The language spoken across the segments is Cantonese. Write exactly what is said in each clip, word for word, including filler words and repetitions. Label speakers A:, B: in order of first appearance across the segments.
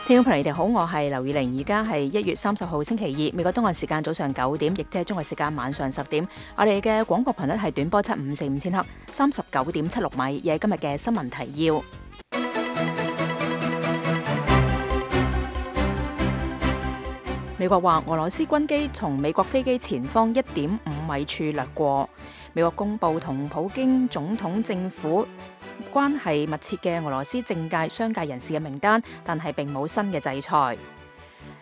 A: 聽眾朋友，你哋好，我係劉以玲，而家係一月三十號星期二，美國東岸時間早上九點，亦即係中國時間晚上十點。我哋嘅廣播頻率係短波七五四五千赫，三十九點七六米。亦係今日嘅新聞提要。美國話俄羅斯軍機從美國飛機前方一點五米處掠過。美國公布同普京總統政府關係密切嘅俄羅斯政界、商界人士嘅名單，但係並冇新嘅制裁。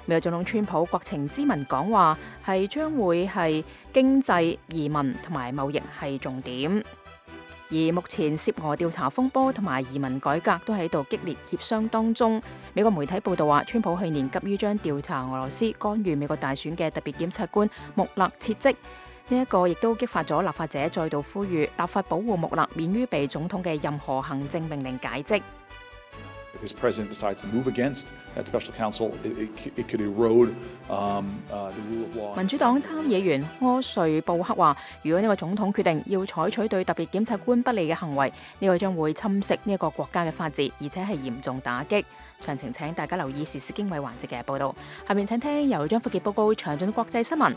A: 美國總統川普國情咨文講話係將會係經濟、移民同埋貿易係重點。而目前涉俄調查風波同埋移民改革都喺度激烈協商當中。美國媒體報道話，川普去年急於將調查俄羅斯干預美國大選嘅特別檢察官穆勒撤職，呢一個亦都激發咗立法者再度呼籲立法保護穆勒免於被總統嘅任何行政命令解職。
B: If this president decides to move against that special counsel, it, it, it could erode um, uh, the rule of law.
A: 民主黨參議員柯瑞布克話，如果呢個總統決定要採取對特別檢察官不利嘅行為，呢個將會侵蝕呢一個國家嘅法治，而且係嚴重打擊。詳情請大家留意時事經緯環節嘅報導。下面請聽由張福傑報告詳盡國際新聞。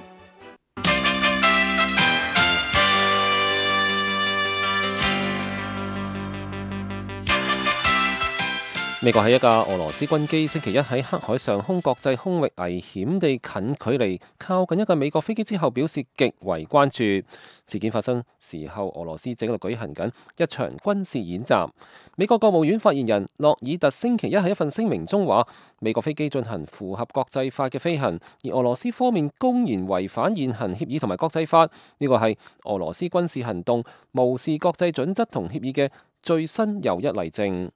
C: 美國喺一架俄羅斯軍機星期一喺黑海上空國際空域危險地近距離靠近一架美國飛機之後，表示極為關注。事件發生時候，俄羅斯正喺度舉行緊一場軍事演習。美國國務院發言人洛爾特星期一喺一份聲明中話，美國飛機進行符合國際法嘅飛行，而俄羅斯方面公然違反現行協議同埋國際法，呢個係俄羅斯軍事行動無視國際準則同協議嘅最新又一例證。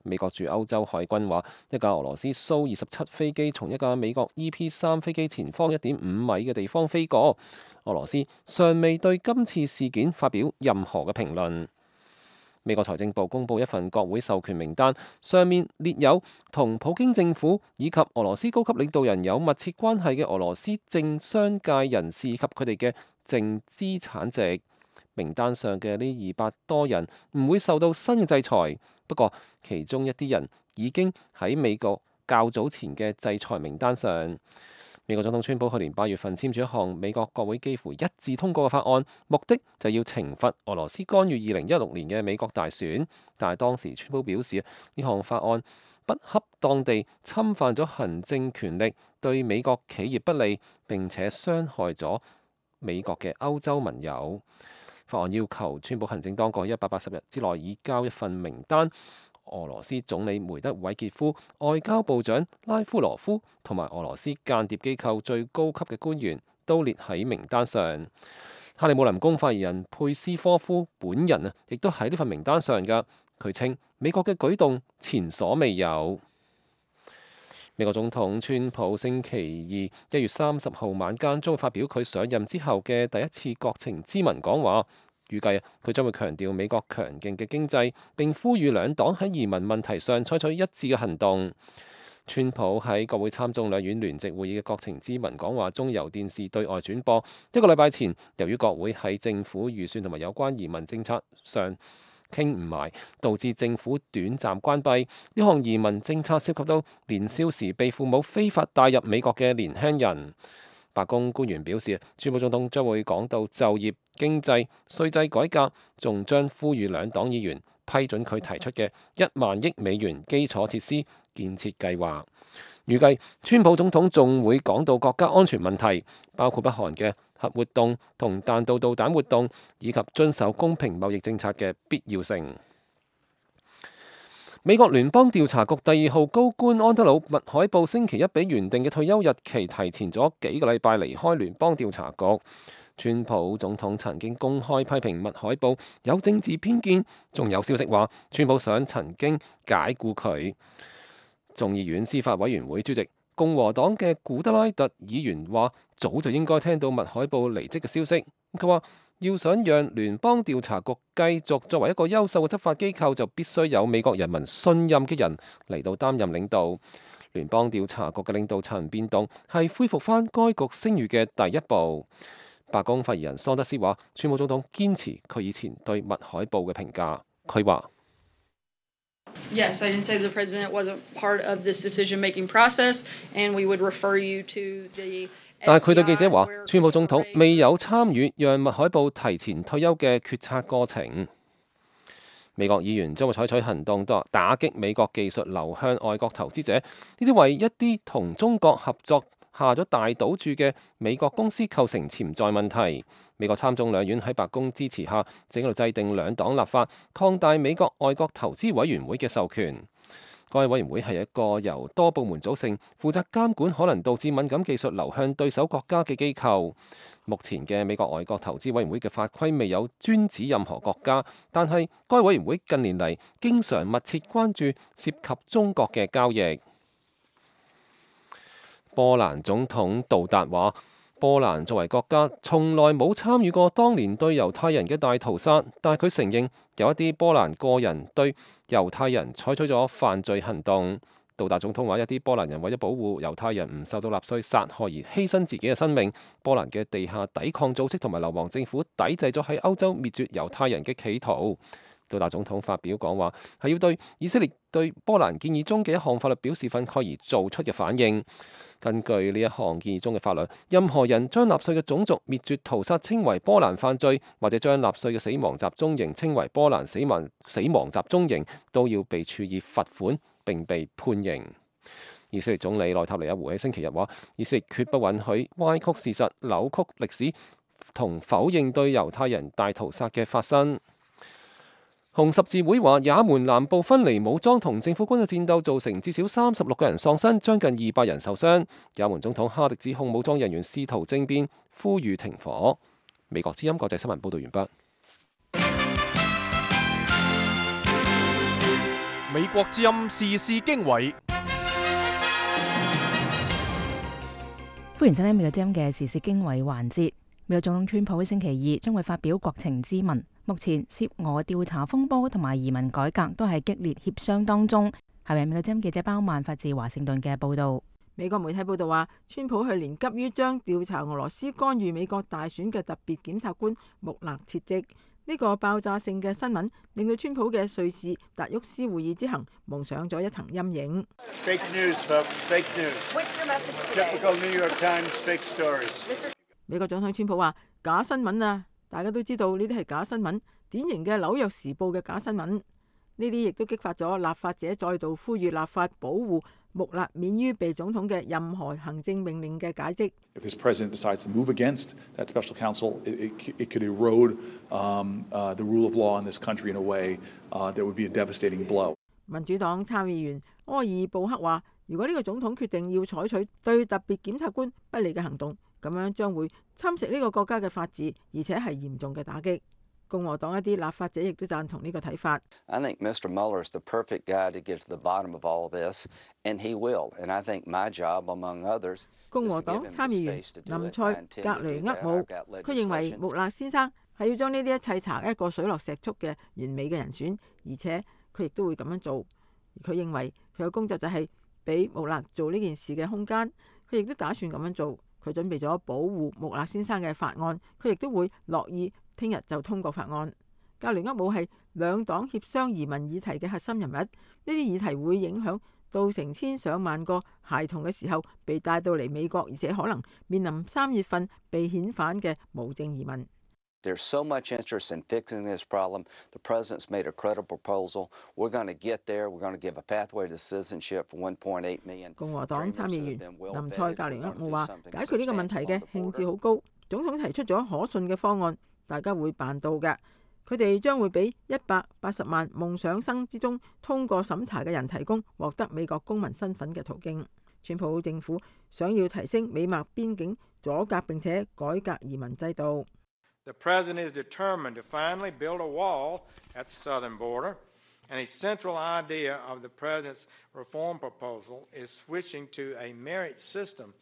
C: 美國駐歐洲海軍話，一架俄羅斯蘇二十七飛機從一架美國 E P 三飛機前方一點五米嘅地方飛過。俄羅斯尚未對今次事件發表任何嘅評論。美國財政部公布一份國會授權名單，上面列有同普京政府以及俄羅斯高級領導人有密切關係嘅俄羅斯政商界人士以及佢哋嘅淨資產值。名單上嘅呢二百多人唔會受到新嘅制裁，不過其中一啲人已經喺美國較早前嘅制裁名單上。美國總統川普去年八月份簽署一項美國國會幾乎一致通過嘅法案，目的就要懲罰俄羅斯干預二零一六年嘅美國大選，但係當時川普表示呢項法案不恰當地侵犯咗行政權力，對美國企業不利，並且傷害咗美國嘅歐洲盟友。法案要求川普行政當局喺一百八十日之內移交一份名單，俄羅斯總理梅德韋傑夫、外交部長拉夫羅夫同埋俄羅斯間諜機構最高級嘅官員都列喺名單上。克里姆林宮發言人佩斯科夫本人啊，亦都喺呢份名單上㗎。佢稱美國嘅舉動前所未有。美國總統川普星期二一月三十號晚間將會發表佢上任之後嘅第一次國情咨文講話，預計佢將會強調美國強勁嘅經濟，並呼籲兩黨喺移民問題上採取一致嘅行動。川普喺國會參眾兩院聯席會議嘅國情咨文講話中由電視對外轉播。一個禮拜前，由於國會喺政府預算同埋有關移民政策上傾唔埋，導致政府短暫關閉。呢項移民政策涉及到年少時被父母非法帶入美國嘅年輕人。白宮官員表示，川普總統將會講到就業、經濟、稅制改革，仲將呼籲兩黨議員批准佢提出嘅一萬億美元基礎設施建設計劃。預計川普總統仲會講到國家安全問題，包括北韓嘅核活動同彈道導彈活動，以及遵守公平貿易政策嘅必要性。美國聯邦調查局第二號高官安德魯麥海布星期一比原定嘅退休日期提前咗幾個禮拜離開聯邦調查局。川普總統曾經公開批評麥海布有政治偏見，仲有消息話川普想曾經解僱佢。眾議院司法委員會主席共和黨嘅古德拉特議員話，早就應該聽到麥海布離職嘅消息。佢話要想讓聯邦調查局繼續作為一個優秀嘅執法機構，就必須有美國人民信任嘅人嚟到擔任領導。聯邦調查局嘅領導層變動係恢復返該局聲譽嘅第一步。白宮發言人桑德斯話，川普總統堅持佢以前對麥海布嘅評價。佢話
D: Yes, I can say the president wasn't part of this decision-making process, and we would refer you to the。
C: 但係佢對記者話，川普總統未有參與讓麥海布提前退休嘅決策過程。美國議員將會採取行動打擊美國技術流向外國投資者，呢啲為一啲同中國合作下咗大賭注嘅美國公司構成潛在問題。美國參眾兩院喺白宮支持下，正喺度制定兩黨立法，擴大美國外國投資委員會嘅授權。該委員會係一個由多部門組成，負責監管可能導致敏感技術流向對手國家嘅機構。目前嘅美國外國投資委員會嘅法規未有專指任何國家，但係該委員會近年嚟經常密切關注涉及中國嘅交易。波蘭總統杜達話：波蘭作為國家，從來冇參與過當年對猶太人嘅大屠殺，但係佢承認有一啲波蘭個人對猶太人採取咗犯罪行動。杜達總統話：一啲波蘭人為咗保護猶太人唔受到納粹殺害而犧牲自己嘅生命。波蘭嘅地下抵抗組織同埋流亡政府抵制咗喺歐洲滅絕猶太人嘅企圖。杜達總統發表講話，係要對以色列對波蘭建議中嘅一項法律表示憤慨而做出嘅反應。根據呢一項建議中嘅法律，任何人將納粹嘅種族滅絕屠殺稱為波蘭犯罪，或者將納粹嘅死亡集中營稱為波蘭死亡死亡集中營，都要被處以罰款並被判刑。以色列總理內塔尼亞胡喺星期日話：以色列決不允許歪曲事實、扭曲歷史同否認對猶太人大屠殺嘅發生。紅十字會話，也門南部分離武裝同政府軍嘅戰鬥造成至少三十六個人喪生，將近二百人受傷。也門總統哈迪指控武裝人員試圖政變，呼籲停火。美國之音國際新聞報道完畢。
E: 美國之音時事經緯，
A: 歡迎收聽美國之音嘅時事經緯環節。美國總統川普喺星期二將會發表國情咨文。目前涉俄調查風波同埋移民改革都係激烈協商當中。係咪美國之音記者包曼發自華盛頓嘅報導？
F: 美國媒體報道話，川普去年急於將調查俄羅斯干預美國大選嘅特別檢察官穆勒撤職。呢、這個爆炸性嘅新聞令到川普嘅瑞士達沃斯會議之行蒙上咗一層陰影。
G: Fake news, folks. Fake news. What's your message today? Typical New York Times fake stories.
F: 美國總統川普話：假新聞啊！大家都知道呢啲係假新聞，典型嘅紐約時報嘅假新聞。呢啲亦都激發咗立法者再度呼籲立法保護穆勒免於被總統嘅任何行政命令嘅解職。
B: If this president decides to move against that special counsel, it, it, it could erode um, uh, the rule of law in this country in a way uh, that would be a devastating blow.
F: 民主黨參議員柯爾布克話：如果呢個總統決定要採取對特別檢察官不利嘅行動，咁樣將會侵蝕呢個國家嘅法治，而且係嚴重嘅打擊。共和黨一啲立法者亦都贊同呢個睇法。
H: I think Mister Mueller is the perfect guy to get to the bottom of all this, and he will. And I think my job, among others,
F: 共和黨參議員林賽格雷厄姆，佢認為穆勒先生係要將呢啲一切查一個水落石出嘅完美嘅人選，而且佢亦都會咁樣做。佢認為佢嘅工作就係俾穆勒做呢件事嘅空間，佢亦都打算咁樣做。佢準備咗保護穆勒先生嘅法案，佢亦都會樂意聽日就通過法案。格雷厄姆係兩黨協商移民議題嘅核心人物，呢啲議題會影響到成千上萬個孩童嘅時候被帶到嚟美國，而且可能面臨三月份被遣返嘅無證移民。
H: There's so much interest in fixing this problem. The president's made a credible proposal. We're going to get there. We're going to give a pathway to citizenship for one point eight million.
F: 共和黨參議員林賽格雷厄姆話：解決呢個問題嘅興致好高，總統提出咗可信嘅方案，大家會辦到嘅。佢哋將會俾一百八十萬夢想生之中通過審查嘅人提供獲得美國公民身份嘅途徑。川普政府想要提升美墨邊境阻隔並且改革移民制度。
G: The president is determined to finally build a wall at the southern border, and a central idea of the president's reform proposal is switching to a merit system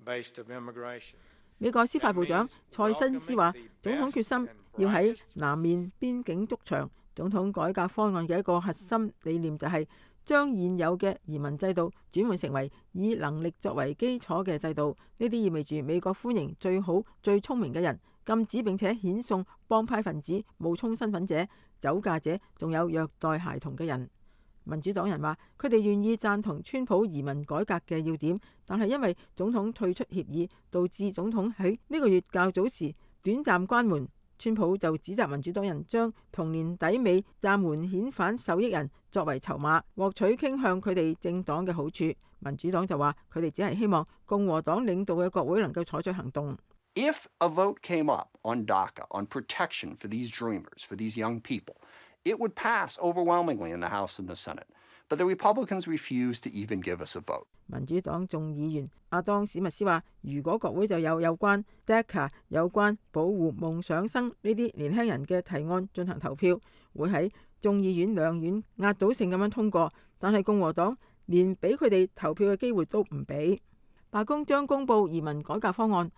G: based of immigration.
F: 美國司法部長蔡新斯話，總統決心要喺南面邊境築牆。總統改革方案嘅一個核心理念就係將現有嘅移民制度轉換成為以能力作為基礎嘅制度。呢啲意味住美國歡迎最好最聰明嘅人，禁止並且遣送幫派分子、冒充身份者、酒駕者，仲有虐待孩童嘅人。民主黨人話佢哋願意贊同川普移民改革嘅要點，但係因為總統退出協議，導致總統喺呢個月較早時短暫關門。川普就指責民主黨人將同年底尾暫緩遣返受益人作為籌碼，獲取傾向佢哋政黨嘅好處。民主黨就話佢哋只係希望共和黨領導嘅國會能夠採取行動。
I: If a vote came up on DACA, on protection for these dreamers, for these young people, it would pass overwhelmingly in the House and the Senate. But the Republicans refuse to even give us a vote.
F: 民主黨眾議員阿當史密斯話，如果國會就有有關 DACA 有關保護夢想生呢啲年輕人嘅提案進行投票，會喺眾議院兩院壓倒性咁樣通過，但係共和黨連俾佢哋投票嘅機會都唔俾。白宮將公布移民改革方案，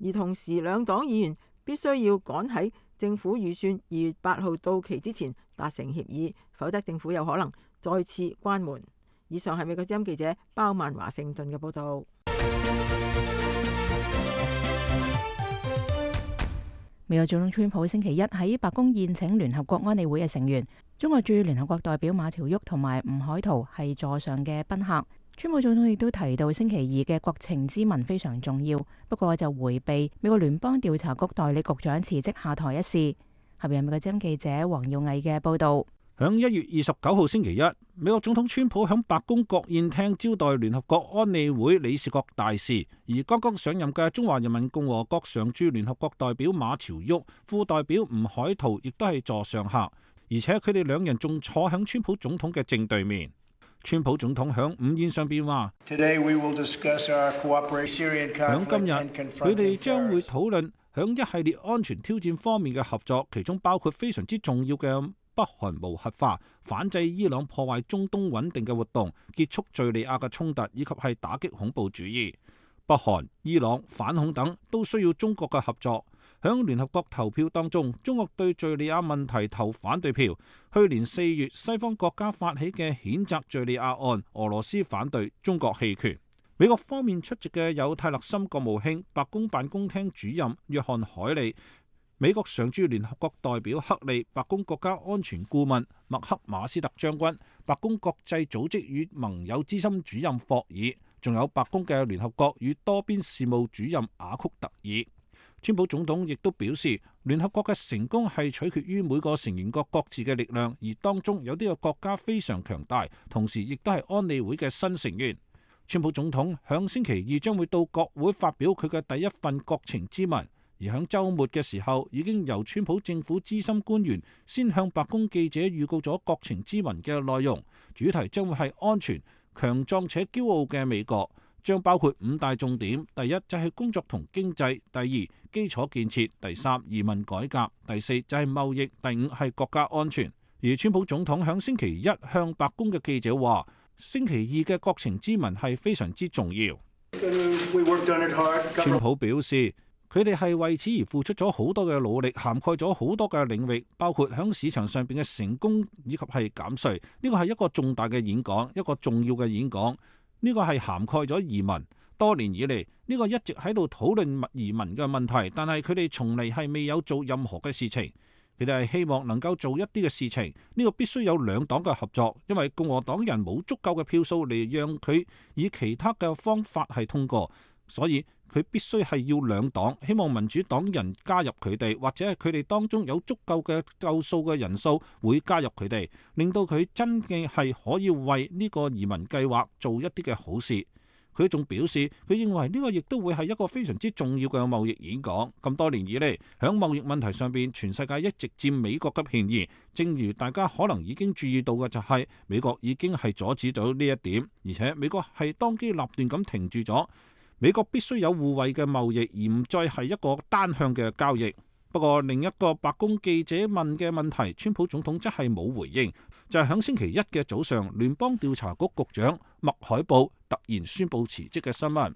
F: 而同時兩黨議員必須要趕喺政府預算二月八號到期之前達成協議，否則政府有可能再次關門。以上係美國之音記者包曼華盛頓嘅報導。
A: 美國總統川普星期一喺白宮宴請聯合國安理會嘅成員，中國駐聯合國代表馬朝旭同埋吳海濤係座上嘅賓客。川普總統亦都提到星期二嘅國情咨文非常重要，不過就迴避美國聯邦調查局代理局長辭職下台一事。下邊係美國之音記者黃耀毅嘅報導。
J: 響一月二十九號星期一，美國總統川普響白宮國宴廳招待聯合國安理會理事國大使，而剛剛上任嘅中華人民共和國常駐聯合國代表馬朝旭、副代表吳海濤亦都係座上客，而且佢哋兩人仲坐響川普總統嘅正對面。川普總統響午宴上邊話：響今日，佢哋將會討論響一系列安全挑戰方面嘅合作，其中包括非常之重要嘅北韓無核化、反制伊朗破壞中東穩定嘅活動、結束敘利亞嘅衝突，以及係打擊恐怖主義。北韓、伊朗、反恐等都需要中國嘅合作。響聯合國投票當中，中國對敘利亞問題投反對票。去年四月，西方國家發起嘅譴責敘利亞案，俄羅斯反對，中國棄權。美國方面出席嘅有泰勒森國務卿、白宮辦公廳主任約翰海利、美國常駐聯合國代表克利、白宮國家安全顧問麥克馬斯特將軍、白宮國際組織與盟友資深主任霍爾，仲有白宮嘅聯合國與多邊事務主任雅曲特爾。川普總統亦都表示，聯合國嘅成功係取決於每個成員國各自嘅力量，而當中有啲個國家非常強大，同時亦都係安理會嘅新成員。川普總統響星期二將會到國會發表佢嘅第一份國情咨文，而響週末嘅時候已經由川普政府資深官員先向白宮記者預告咗國情咨文嘅內容，主題將會係安全、強壯且驕傲嘅美國。將包括五大重點：第一就係工作同經濟，第二基礎建設，第三移民改革，第四就係貿易，第五係國家安全。而川普總統響星期一向白宮嘅記者話，星期二嘅國情咨文係非常之重要。川普表示，佢哋係為此而付出咗好多嘅努力，涵蓋咗好多嘅領域，包括響市場上邊嘅成功以及係減稅。呢個係一個重大嘅演講，一個重要嘅演講。呢個係涵蓋咗移民。多年以嚟，呢個一直喺度討論移民嘅問題，但係佢哋從嚟係未有做任何嘅事情。佢哋係希望能夠做一啲嘅事情，呢個必須有兩黨嘅合作，因為共和黨人冇足夠嘅票數嚟讓佢以其他嘅方法係通過，所以佢必須係要兩黨，希望民主黨人加入佢哋，或者係佢哋當中有足夠嘅夠數嘅人數會加入佢哋，令到佢真嘅係可以為呢個移民計劃做一啲嘅好事。佢仲表示，佢認為呢個亦都會係一個非常之重要嘅貿易演講。咁多年以嚟，響貿易問題上邊，全世界一直佔美國嘅便宜。正如大家可能已經注意到嘅，就係美國已經係阻止咗呢一點，而且美國係當機立斷咁停住咗。美國必須有互惠嘅貿易，而唔再係一個單向嘅交易。不過另一個白宮記者問嘅問題，川普總統則係冇回應，就係響星期一嘅早上，聯邦調查局局長麥海布突然宣布辭職嘅新聞。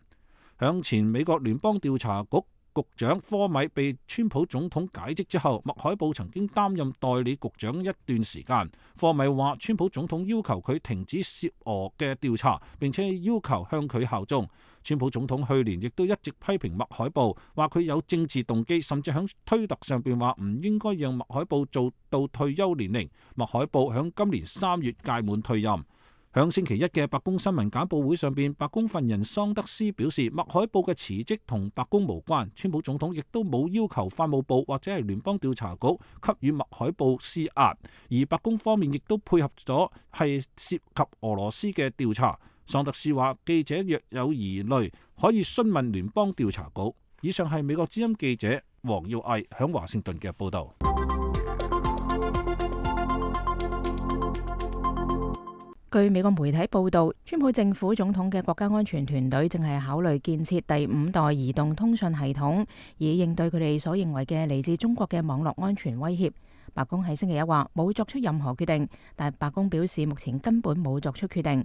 J: 響前美國聯邦調查局局長科米被川普總統解職之後，麥海布曾經擔任代理局長一段時間。科米話，川普總統要求佢停止涉俄嘅調查，並且要求向佢效忠。川普總統去年亦都一直批評麥海布，話佢有政治動機，甚至喺推特上邊話唔應該讓麥海布做到退休年齡。麥海布喺今年三月屆滿退任。響星期一嘅白宮新聞簡報會上邊，白宮發言人桑德斯表示，麥海布嘅辭職同白宮無關，川普總統亦都冇要求法務部或者係聯邦調查局給予麥海布施壓，而白宮方面亦都配合咗係涉及俄羅斯嘅調查。桑德斯話，記者若有疑慮可以詢問聯邦調查局。以上係美國之音記者黃耀毅響華盛頓嘅報道。
A: 據美國媒體報道，川普政府總統嘅國家安全團隊正係考慮建設第五代移動通訊系統，以應對佢哋所認為嘅嚟自中國嘅網絡安全威脅。白宮喺星期一話冇作出任何決定，但白宮表示目前根本冇作出決定。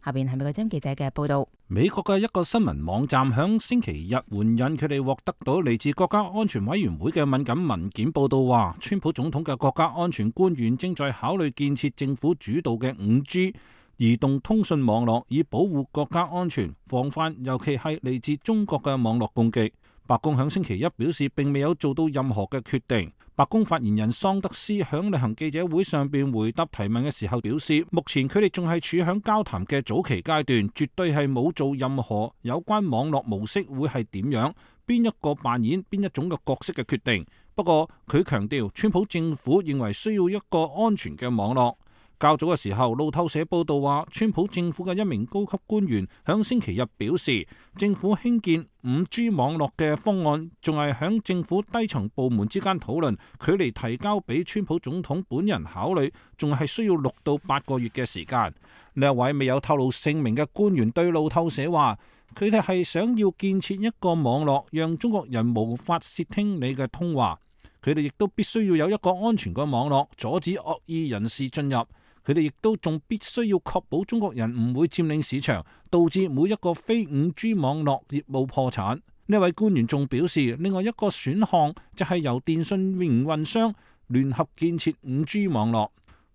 A: 下邊係美國之音記者嘅報道。
J: 美國嘅一個新聞網站響星期日援引佢哋獲得到嚟自國家安全委員會嘅敏感文件，報道話，川普總統嘅國家安全官員正在考慮建設政府主導嘅五 G 移動通訊網絡，以保護國家安全，防範尤其係嚟自中國嘅網絡攻擊。白宮響星期一表示，並未有做到任何嘅決定。白宮發言人桑德斯響例行記者會上邊回答提問嘅時候表示，目前佢哋仲係處響交談嘅早期階段，絕對係冇做任何有關網絡模式會係點樣，邊一個扮演邊一種嘅角色嘅決定。不過佢強調，川普政府認為需要一個安全嘅網絡。較早嘅時候，路透社報道話，川普政府嘅一名高級官員響星期日表示，政府興建五 G 網絡嘅方案仲係響政府低層部門之間討論，距離提交俾川普總統本人考慮，仲係需要六到八個月嘅時間。呢一位未有透露姓名嘅官員對路透社話，佢哋係想要建設一個網絡，讓中國人無法竊聽你嘅通話。佢哋亦都必須要有一個安全嘅網絡，阻止惡意人士進入。佢哋亦都仲必須要確保中國人唔會佔領市場，導致每一個非五 G 網絡業務破產。呢位官員仲表示，另外一個選項就係由電信營運商聯合建設五 G 網絡。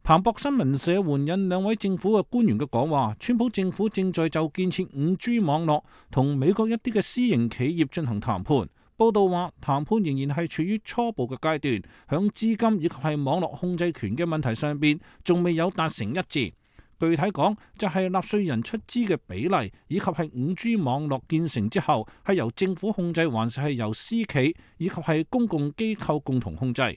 J: 彭博新聞社援引兩位政府嘅官員嘅講話，川普政府正在就建設五 G 網絡同美國一啲嘅私營企業進行談判。報道話，談判仍然係處於初步嘅階段，響資金以及係網絡控制權嘅問題上邊，仲未有達成一致。具體講，就係納稅人出資嘅比例，以及係五 G 網絡建成之後係由政府控制，還是係由私企以及係公共機構共同控制。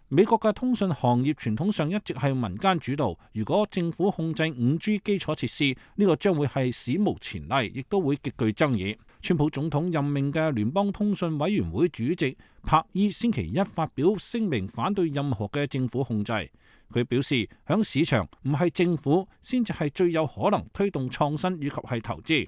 J: 美國嘅通訊行業傳統上一直係民間主導，如果政府控制五 G 基礎設施，呢個將會係史無前例，亦都會極具爭議。川普總統任命嘅聯邦通訊委員會主席柏伊星期一發表聲明，反對任何嘅政府控制。佢表示，響市場唔係政府先至係最有可能推動創新以及係投資。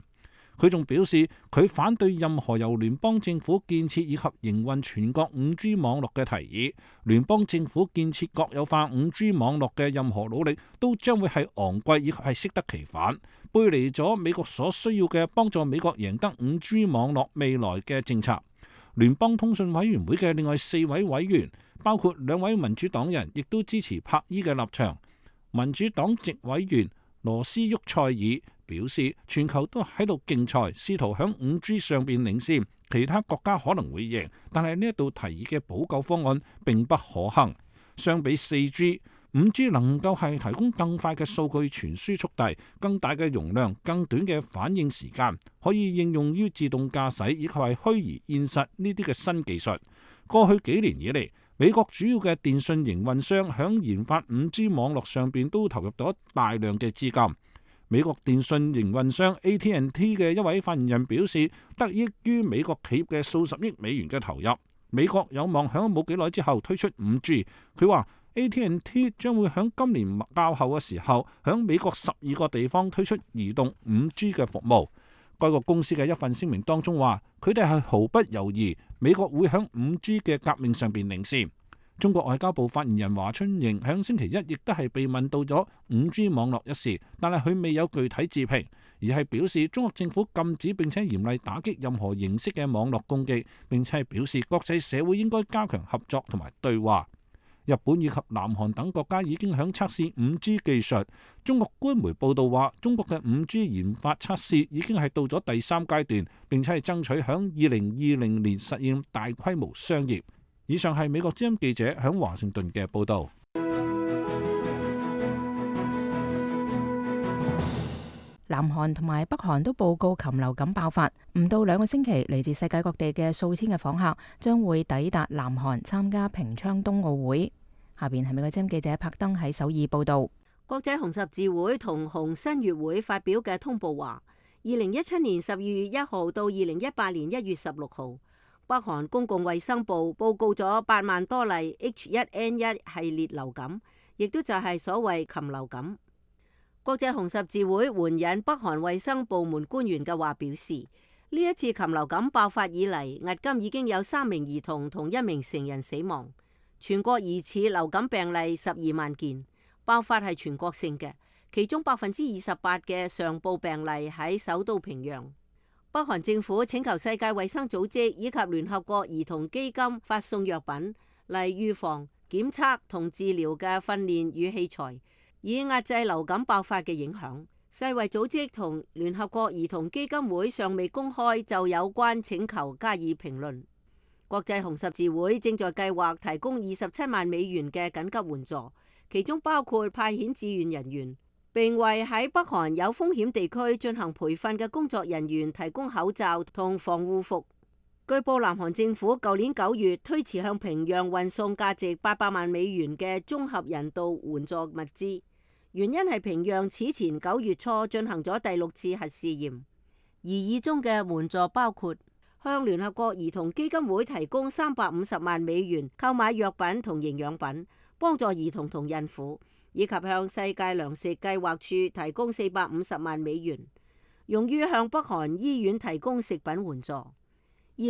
J: 佢仲表示，佢反對任何由聯邦政府建設以及營運全國五 G 網絡嘅提議。聯邦政府建設國有化五 G 網絡嘅任何努力都將會係昂貴以及係適得其反，背離咗美國所需要嘅幫助美國贏得五 G 網絡未來嘅政策。聯邦通訊委員會嘅另外四位委員，包括兩位民主黨人，亦都支持柏伊嘅立場。民主黨籍委員羅斯沃塞爾表示，全球都喺度競賽，試圖響五 G 上邊領先，其他國家可能會贏，但係呢一度提議嘅補救方案並不可行。相比四 G，五 G 能夠係提供更快嘅數據傳輸速遞、更大嘅容量、更短嘅反應時間，可以應用於自動駕駛以及係虛擬現實呢啲嘅新技術。過去幾年以嚟，美國主要嘅電信營運商響研發五 G 網絡上邊都投入咗大量嘅資金。美國電信營運商 A T and T 嘅一位發言人表示，得益於美國企業嘅數十億美元嘅投入，美國有望響冇幾耐之後推出五 G。佢話 A T and T 將會響今年較後嘅時候，響美國十二個地方推出移動五 G 嘅服務。該個公司嘅一份聲明當中話，佢哋係毫不猶豫，美國會響五 G 嘅革命上邊領先。中國外交部發言人華春瑩響星期一亦都係被問到咗五 G 網絡一事，但係佢未有具體置評，而係表示中國政府禁止並且嚴厲打擊任何形式嘅網絡攻擊，並且係表示國際社會應該加強合作同埋對話。日本以及南韓等國家已經響測試五 G 技術。中國官媒報道話，中國嘅五 G 研發測試已經係到咗第三階段，並且係爭取響二零二零年實現大規模商業。以上係美國之音記者響華盛頓嘅報導。
A: 南韓同埋北韓都報告禽流感爆發，唔到兩個星期，嚟自世界各地嘅數千嘅訪客將會抵達南韓參加平昌冬奧會。下邊係美國之音記者柏登喺首爾報導。
K: 國際紅十字會同紅新月會發表嘅通報話，二零一七年十二月一號到二零一八年一月十六號，北韓公共衛生部報告咗八萬多例 H 一 N 一 系列流感，亦都就係所謂禽流感。國際紅十字會援引北韓衛生部門官員嘅話表示，呢一次禽流感爆發以嚟，迄今已經有三名兒童同一名成人死亡。全國疑似流感病例十二萬件，爆發係全國性嘅，其中百分之二十八嘅上報病例喺首都平壤。北韓政府請求世界衛生組織以及聯合國兒童基金發送藥品嚟預防、檢測同治療嘅訓練與器材，以壓制流感爆發嘅影響。世衛組織同聯合國兒童基金會尚未公開就有關請求加以評論。國際紅十字會正在計劃提供二十七萬美元嘅緊急援助，其中包括派遣志願人員，並為喺北韓有風險地區進行培訓嘅工作人員提供口罩同防護服。據報，南韓政府舊年九月推遲向平壤運送價值八百萬美元嘅綜合人道援助物資。原因係平壤此前九月初進行咗第六次核試驗，而以中嘅援助包括向聯合國兒童基金會提供三百五十萬美元購買藥品同營養品，幫助兒童同孕婦，以及向世界糧食計劃處提供四百五十萬美元，用於向北韓醫院提供食品援助。二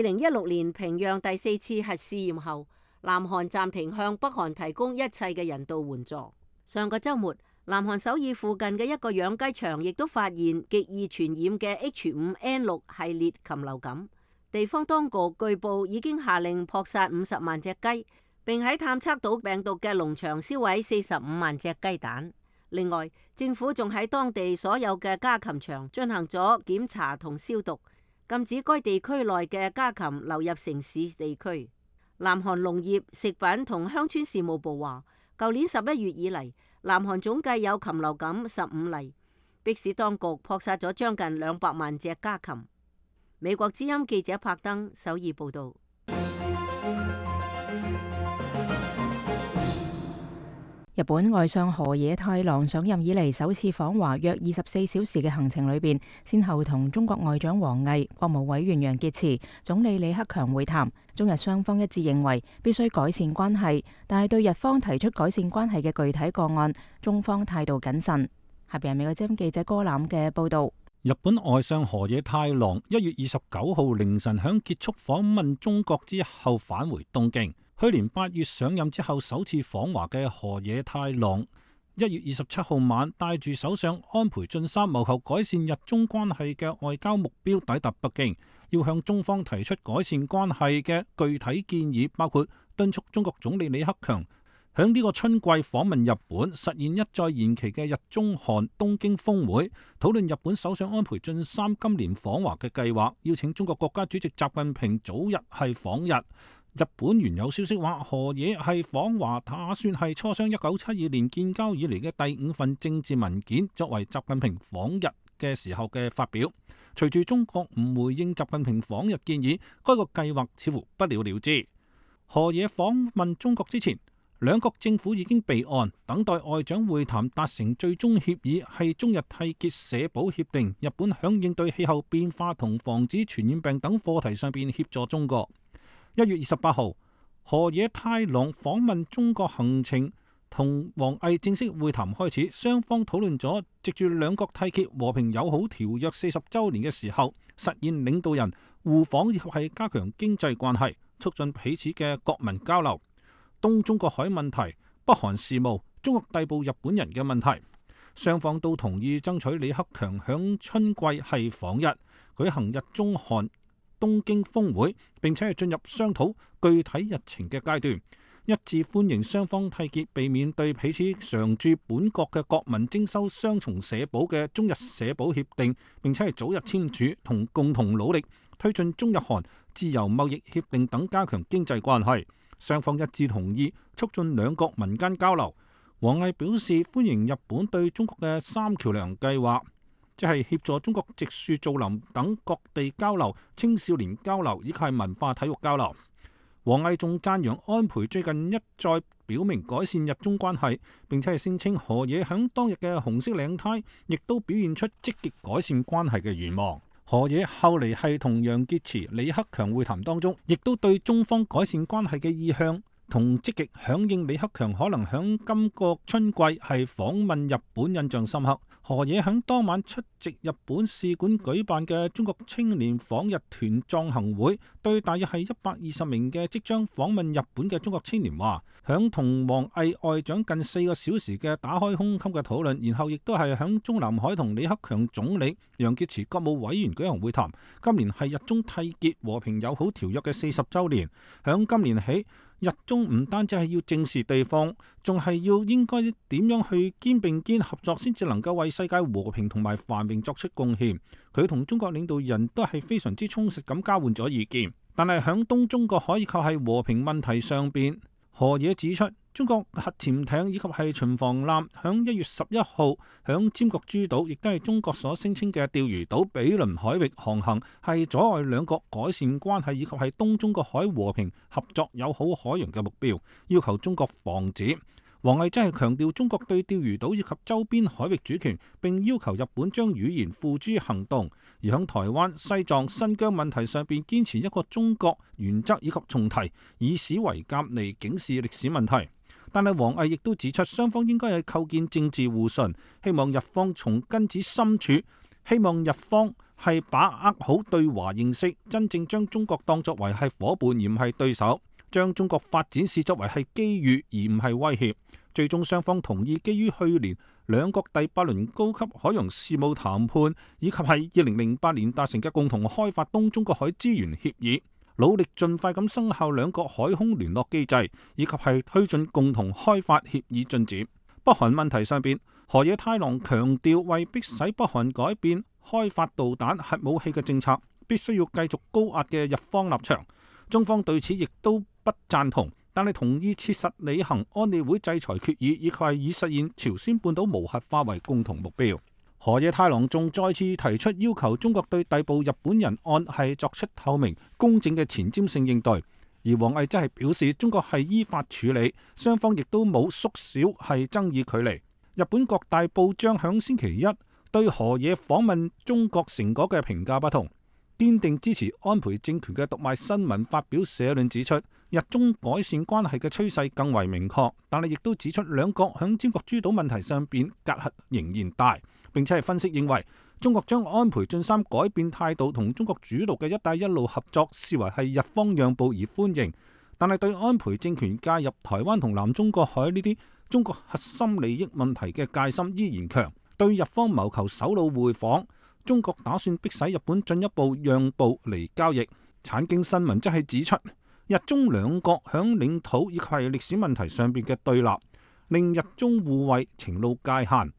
K: 零一六年平壤第四次核試驗後，南韓暫停向北韓提供一切嘅人道援助。上個週末，南韓首爾附近嘅一個養雞場亦都發現極易傳染嘅 H 五 N 六 系列禽流感。地方當局據報已經下令撲殺五十萬隻雞，並喺探測到病毒嘅農場燒毀四十五萬隻雞蛋。另外，政府仲喺當地所有嘅家禽場進行咗檢查同消毒，禁止該地區內嘅家禽流入城市地區。南韓農業、食品同鄉村事務部話，舊年十一月以嚟，南韓總計有禽流感十五例，迫使當局撲殺咗將近兩百萬隻家禽。美國之音記者柏登首爾報道。
A: 日本外相河野太郎上任以嚟首次訪華約二十四小時嘅行程裏邊，先後同中國外長王毅、國務委員楊潔篪、總理李克強會談。中日雙方一致認為必須改善關係，但係對日方提出改善關係嘅具體個案，中方態度謹慎。下邊係美國之音記者歌欖嘅報道。
J: 日本外相河野太郎一月二十九號凌晨響結束訪問中國之後返回東京。去年八月上任之後首次訪華嘅河野太郎，一月二十七號晚帶住首相安倍晉三謀求改善日中關係嘅外交目標抵達北京，要向中方提出改善關係嘅具體建議，包括敦促中國總理李克強響呢個春季訪問日本，實現一再延期嘅日中韓東京峰會，討論日本首相安倍晉三今年訪華嘅計劃，邀請中國國家主席習近平早日係訪日。日本原有消息話，河野係訪華打算係磋商一九七二年建交以嚟嘅第五份政治文件，作為習近平訪日嘅時候嘅發表。隨住中國唔回應習近平訪日建議，該個計劃似乎不了了之。河野訪問中國之前，兩國政府已經備案，等待外長會談達成最終協議，係中日締結社保協定。日本響應對氣候變化同防止傳染病等課題上邊協助中國。一月二十八號，河野太郎訪問中國行程同王毅正式會談開始，雙方討論咗藉住兩國締結和平友好條約四十週年嘅時候，實現領導人互訪以及係加強經濟關係，促進彼此嘅國民交流。東中國海問題、北韓事務、中國逮捕日本人嘅問題，雙方都同意爭取李克強響春季係訪日，舉行日中韓東京峰會，並且係進入商討具體日程嘅階段。一致歡迎雙方締結避免對彼此常駐本國嘅國民徵收雙重社保嘅中日社保協定，並且係早日簽署，同共同努力推進中日韓自由貿易協定等，加強經濟關係。雙方一致同意促進兩國民間交流。王毅表示歡迎日本對中國嘅三橋梁計劃，即係協助中國植樹造林等各地交流、青少年交流以及係文化體育交流。王毅仲讚揚安倍最近一再表明改善日中關係，並且係聲稱河野響當日嘅紅色領呔亦都表現出積極改善關係嘅願望。河野後嚟係同楊潔篪、李克強會談當中，亦都對中方改善關係嘅意向同積極響應李克強可能響今個春季係訪問日本印象深刻。河野響當晚出席日本使館舉辦嘅中國青年訪日團壯行會，對大約係一百二十名嘅即將訪問日本嘅中國青年話，響同王毅外長近四個小時嘅打開胸襟嘅討論，然後亦都係響中南海同李克強總理、楊潔篪國務委員舉行會談。今年係日中締結和平友好條約嘅四十週年，響今年起，日中唔單止係要正視對方，仲係要應該點樣去肩並肩合作，先至能夠為世界和平同埋繁榮作出貢獻。佢同中國領導人都係非常之充實咁交換咗意見，但係響東中國海以及係和平問題上邊，河野指出，中國核潛艇以及係巡防艦響一月十一號響尖閣諸島，亦都係中國所聲稱嘅釣魚島比鄰海域航行，係阻礙兩國改善關係以及係東中國海和平合作友好海洋嘅目標，要求中國防止。王毅真係強調中國對釣魚島以及周邊海域主權，並要求日本將語言付諸行動，而響台灣、西藏、新疆問題上邊堅持一個中國原則以及重提以史為鑑嚟警示歷史問題。但係王毅亦都指出，雙方應該係構建政治互信，希望日方從根子深處，希望日方係把握好對華認識，真正將中國當作為係夥伴而唔係對手，將中國發展視作為係機遇而唔係威脅。最終雙方同意基於去年兩國第八輪高級海洋事務談判，以及係二零零八年達成嘅共同開發東中國海資源協議，努力盡快咁生效兩國海空聯絡機制，以及係推進共同開發協議進展。北韓問題上邊，河野太郎強調，為迫使北韓改變開發導彈核武器嘅政策，必須要繼續高壓嘅日方立場。中方對此亦都不贊同，但係同意切實履行安理會制裁決議，以及係以實現朝鮮半島無核化為共同目標。河野太郎仲再次提出要求中國對逮捕日本人案係作出透明公正嘅前瞻性應對，而王毅則係表示中國係依法處理，雙方亦都冇縮小係爭議距離。日本各大報章響星期一對河野訪問中國成果嘅評價不同，堅定支持安倍政權嘅讀賣新聞發表社論指出，日中改善關係嘅趨勢更為明確，但係亦都指出兩國響尖閣諸島問題上邊隔閡仍然大，並且係分析認為中國將安倍晉三改變態度同中國主導嘅一帶一路合作視為係日方讓步而歡迎，但係對安倍政權介入台灣同南中國海呢啲中國核心利益問題嘅戒心依然強，對日方謀求首腦會訪，中國打算迫使日本進一步讓步嚟交易。產經新聞則係指出，日中兩國響領土以及係歷史問題上邊嘅對立，令日中互惠情路界限，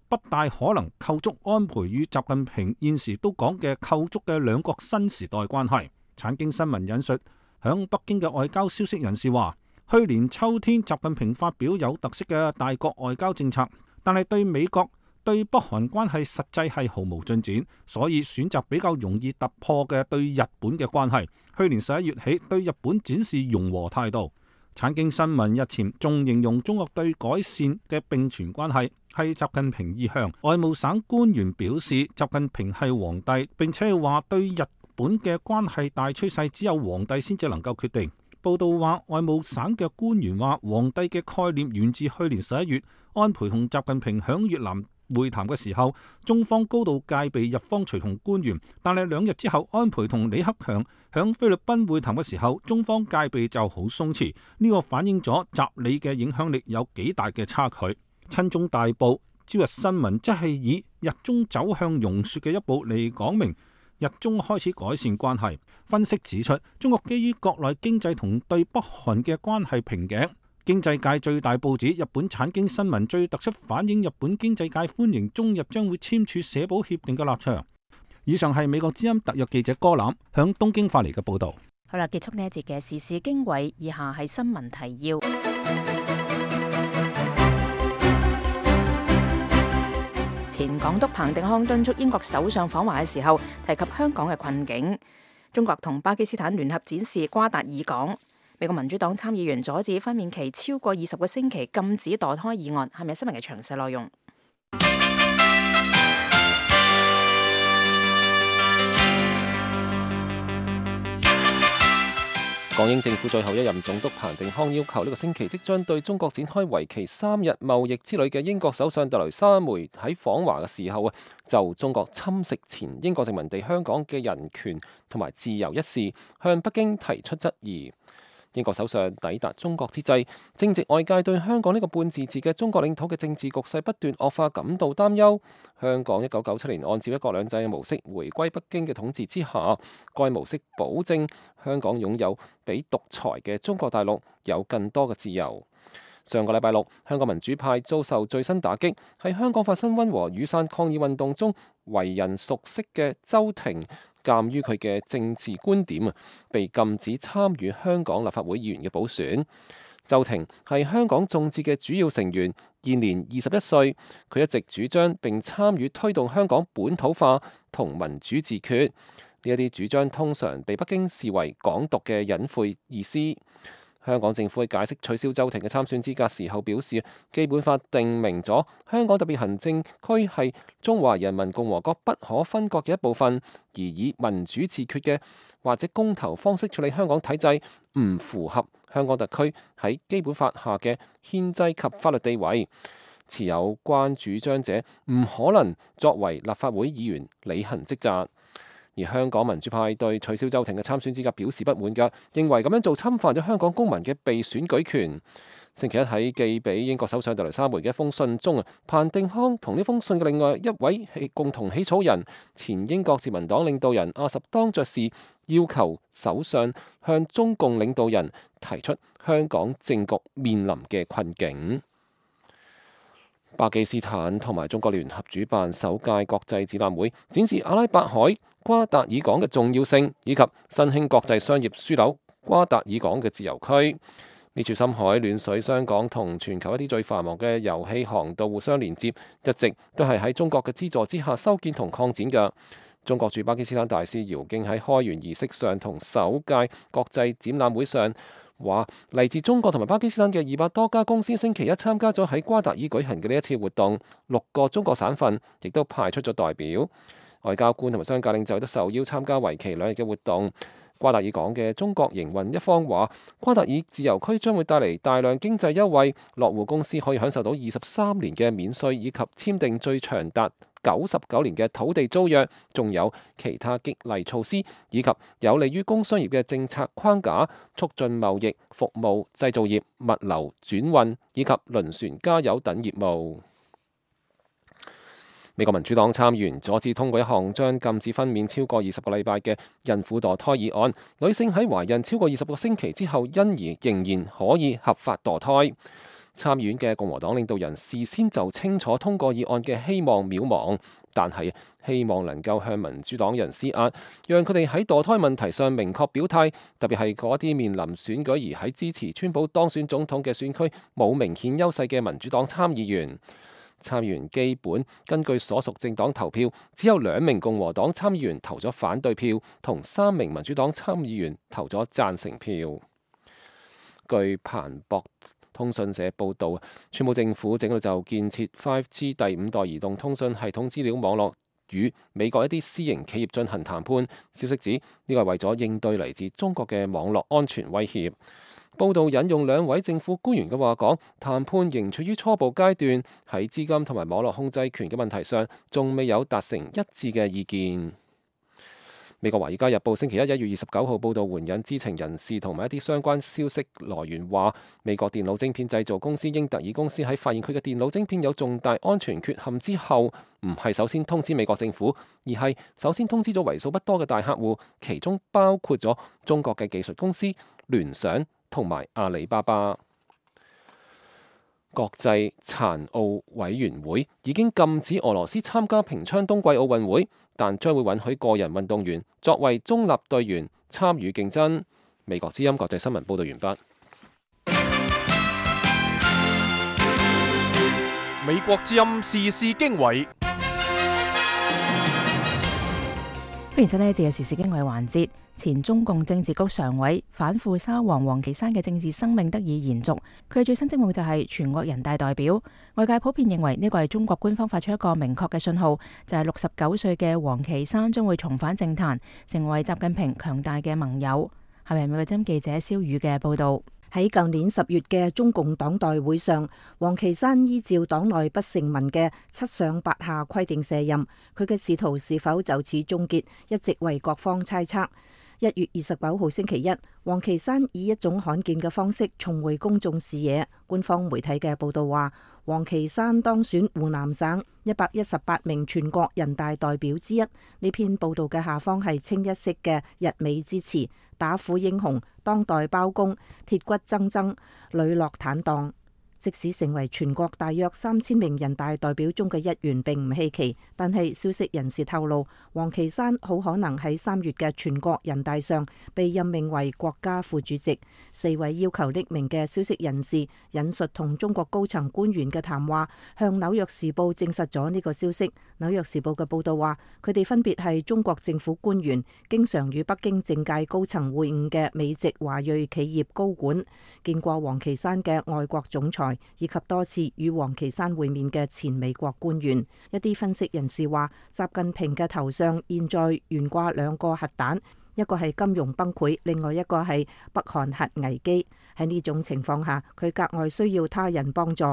J: 不大可能構築安倍與習近平現時都講嘅構築嘅兩國新時代關係。產經新聞引述響北京嘅外交消息人士話，去年秋天習近平發表有特色嘅大國外交政策，但係對美國對北韓關係實際係毫無進展，所以選擇比較容易突破嘅對日本嘅關係。去年十一月起對日本展示融和態度。產經新聞日前仲形容中國對改善嘅並存關係係習近平意向。外務省官員表示，習近平係皇帝，並且係話對日本嘅關係大趨勢只有皇帝先至能夠決定。報道話，外務省嘅官員話，皇帝嘅概念源自去年十一月安倍同習近平響越南會談嘅時候，中方高度戒備日方隨同官員，但係兩日之後，安倍同李克強響菲律賓會談嘅時候，中方戒備就好鬆弛。呢、這個反映咗習李嘅影響力有幾大嘅差距。親中大報朝日新聞即係以日中走向融雪嘅一步嚟講明日中開始改善關係。分析指出，中國基於國內經濟同對北韓嘅關係瓶頸，經濟界最大報紙《日本產經新聞》最突出反映日本經濟界歡迎中日將會簽署社保協定嘅立場。以上係美國之音特約記者柯欖向東京發嚟嘅報導。
A: 好啦，結束呢一節嘅時事經緯，以下係新聞提要。前港督彭定康敦促英國首相訪華嘅時候提及香港嘅困境。中國同巴基斯坦聯合展示瓜達爾港。美國民主黨參議員阻止分娩期超過二十個星期禁止墮胎議案，係咪新聞嘅詳細內容？
C: 港英政府最後一任總督彭定康要求呢個星期即將對中國展開為期三日貿易之旅嘅英國首相特蕾莎梅喺訪華嘅時候啊，就中國侵蝕前英國殖民地香港嘅人權同埋自由一事，向北京提出質疑。英國首相抵達中國之際，正值外界對香港呢個半自治嘅中國領土嘅政治局勢不斷惡化感到擔憂。香港一九九七年按照一國兩制嘅模式回歸北京嘅統治之下，該模式保證香港擁有比獨裁嘅中國大陸有更多嘅自由。上個禮拜六，香港民主派遭受最新打擊，喺香港發生溫和雨傘抗議運動中為人熟悉嘅周庭，鑑於佢嘅政治觀點啊，被禁止參與香港立法會議員嘅補選。周庭係香港眾志嘅主要成員，現年二十一歲。佢一直主張並參與推動香港本土化同民主自決。呢一啲主張通常被北京視為港獨嘅隱晦意思。香港政府喺解釋取消周庭嘅參選資格時候表示，基本法定明咗香港特別行政區係中華人民共和國不可分割嘅一部分，而以民主自決嘅或者公投方式處理香港體制，唔符合香港特區喺基本法下嘅憲制及法律地位。持有關主張者唔可能作為立法會議員履行職責。而香港民主派對取消周庭嘅參選資格表示不滿㗎，認為咁樣做侵犯咗香港公民嘅被選舉權。星期一喺寄俾英國首相特蕾莎梅嘅一封信中啊，彭定康同呢封信嘅另外一位共同起草人前英國自民黨領導人阿什當爵士要求首相向中共領導人提出香港政局面臨嘅困境。巴基斯坦同埋中國聯合主辦首屆國際展覽會，展示阿拉伯海瓜達爾港嘅重要性，以及新興國際商業樞紐瓜達爾港嘅自由區。呢處深海暖水商港同全球一啲最繁忙嘅油氣航道互相連接，一直都係喺中國嘅資助之下修建同擴展嘅。中國駐巴基斯坦大使姚敬喺開園儀式上同首屆國際展覽會上話，嚟自中國同埋巴基斯坦嘅二百多家公司星期一參加咗喺瓜達爾舉行嘅呢一次活動，六個中國省份亦都派出咗代表，外交官同埋商界領袖都受邀參加為期兩日嘅活動。瓜達爾港嘅中國營運一方話，瓜達爾自由區將會帶嚟大量經濟優惠，落戶公司可以享受到二十三年嘅免稅，以及簽訂最長達九十九年嘅土地租約，仲有其他激勵措施，以及有利於工商業嘅政策框架，促進貿易、服務、製造業、物流、轉運以及輪船加油等業務。美國民主黨參議員阻止通過一項將禁止分娩超過二十個禮拜嘅孕婦墮胎議案，女性喺懷孕超過二十個星期之後，因而仍然可以合法墮胎。參議院嘅共和黨領導人事先就清楚通過議案嘅希望渺茫，但係希望能夠向民主黨人施壓，讓佢哋喺墮胎問題上明確表態，特別係嗰啲面臨選舉而喺支持川普當選總統嘅選區冇明顯優勢嘅民主黨參議員。參議員基本根據所屬政黨投票，只有兩名共和黨參議員投咗反對票，同三名民主黨參議員投咗贊成票。據彭博通訊社報導，川普政府正喺度就建設 五 G 第五代移動通訊系統資料網絡與美國一啲私營企業進行談判。消息指呢個係為咗應對嚟自中國嘅網絡安全威脅。報道引用兩位政府官員嘅話講，談判仍處於初步階段，喺資金同埋網絡控制權嘅問題上，仲未有達成一致嘅意見。美國《華爾街日報》星期一一月二十九號報導，援引知情人士同埋一啲相關消息來源話，美國電腦晶片製造公司英特爾公司喺發現佢嘅電腦晶片有重大安全缺陷之後，唔係首先通知美國政府，而係首先通知咗為數不多嘅大客戶，其中包括咗中國嘅技術公司聯想同埋阿里巴巴。國際殘奧委員會已經禁止俄羅斯參加平昌冬季奧運會，但將會允許個人運動員作為中立隊員參與競爭。美國之音國際新聞報道完畢。
E: 美國之音時事經緯，
A: 歡迎收聽呢一節嘅時事經緯環節。前中共政治局常委反腐沙皇王岐山嘅政治生命得以延續，佢嘅最新職務就係全國人大代表。外界普遍認為呢個係中國官方發出一個明確嘅信號，就係六十九歲嘅王岐山將會重返政壇，成為習近平強大嘅盟友。係咪美國之音記者蕭宇嘅報道？
L: 喺舊年十月嘅中共黨代會上，王岐山依照黨內不成文嘅七上八下規定卸任，佢嘅仕途是否就此終結，一直為各方猜測。一月二十九號星期一，王岐山以一種罕見嘅方式重回公眾視野。官方媒體嘅報道話，王岐山當選湖南省一百一十八名全國人大代表之一。呢篇報道嘅下方係清一色嘅溢美之詞，打虎英雄、當代包公、鐵骨錚錚、磊落坦蕩。即使成為全國大約三千名人大代表中嘅一員並唔稀奇，但係消息人士透露，王岐山好可能喺三月嘅全國人大上被任命為國家副主席。四位要求匿名嘅消息人士引述同中國高層官員嘅談話，向紐約時報證實咗呢個消息。紐約時報嘅報道話，佢哋分別係中國政府官員，經常與北京政界高層會晤嘅美籍華裔企業高管，見過王岐山嘅外國總裁，以及多次與王岐山會面嘅前美國官員。一啲分析人士話，習近平嘅頭上現在懸掛兩個核彈，一個係金融崩潰，另外一個係北韓核危機。喺呢種情況下，佢格外需要他人幫助。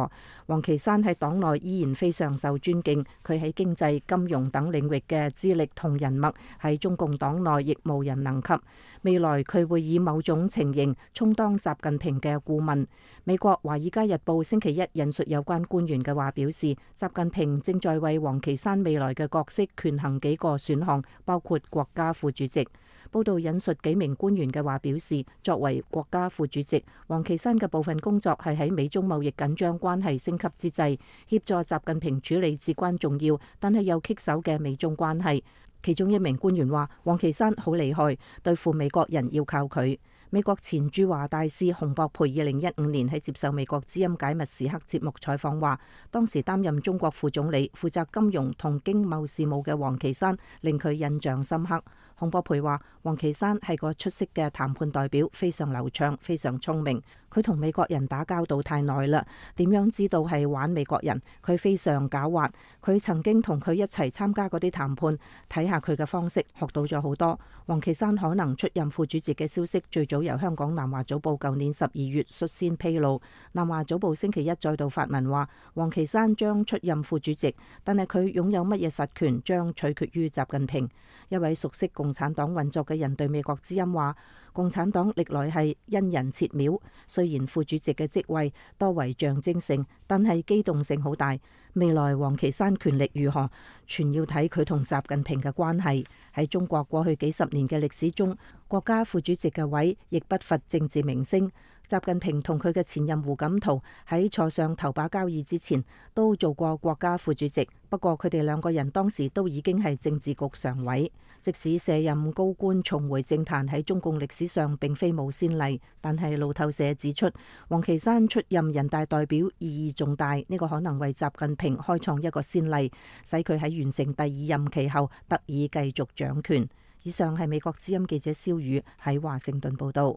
L: 王岐山喺黨內依然非常受尊敬，佢喺經濟、金融等領域嘅資歷同人脈喺中共黨內亦無人能及。未來佢會以某種情形充當習近平嘅顧問。美國《華爾街日報》星期一引述有關官員嘅話表示，習近平正在為王岐山未來嘅角色權衡幾個選項，包括國家副主席。報道引述幾名官員嘅話表示，作為國家副主席，王岐山嘅部分工作係喺美中貿易緊張關係升級之際，協助習近平處理至關重要但係又棘手嘅美中關係。其中一名官員話，王岐山好厲害，對付美國人要靠佢。美國前駐華大使洪博培二零一五年喺接受美國之音解密時刻節目採訪話，當時擔任中國副總理、負責金融同經貿事務嘅王岐山令佢印象深刻。洪博培話，王岐山係個出色嘅談判代表，非常流暢，非常聰明。佢同美國人打交道太耐啦，點樣知道係玩美國人？佢非常狡猾。佢曾經同佢一齊參加嗰啲談判，睇下佢嘅方式，學到咗好多。王岐山可能出任副主席嘅消息，最早由香港南華早報舊年十二月率先披露。南華早報星期一再度發文話，王岐山將出任副主席，但係佢擁有乜嘢實權，將取決於習近平。一位熟悉共產黨運作嘅人對美國之音話，共產黨歷來係因人設廟，雖然副主席嘅職位多為象徵性，但係機動性好大。未來王岐山權力如何，全要睇佢同習近平嘅關係。喺中國過去幾十年嘅歷史中，國家副主席嘅位亦不乏政治明星。習近平同佢嘅前任胡錦濤喺坐上頭把交椅之前，都做過國家副主席。不過佢哋兩個人當時都已經係政治局常委。即使卸任高官重回政壇喺中共歷史上並非冇先例，但係路透社指出，王岐山出任人大代表意義重大，呢個可能為習近平開創一個先例，使佢喺完成第二任期後得以繼續掌權。以上係美國之音記者蕭宇喺華盛頓報道。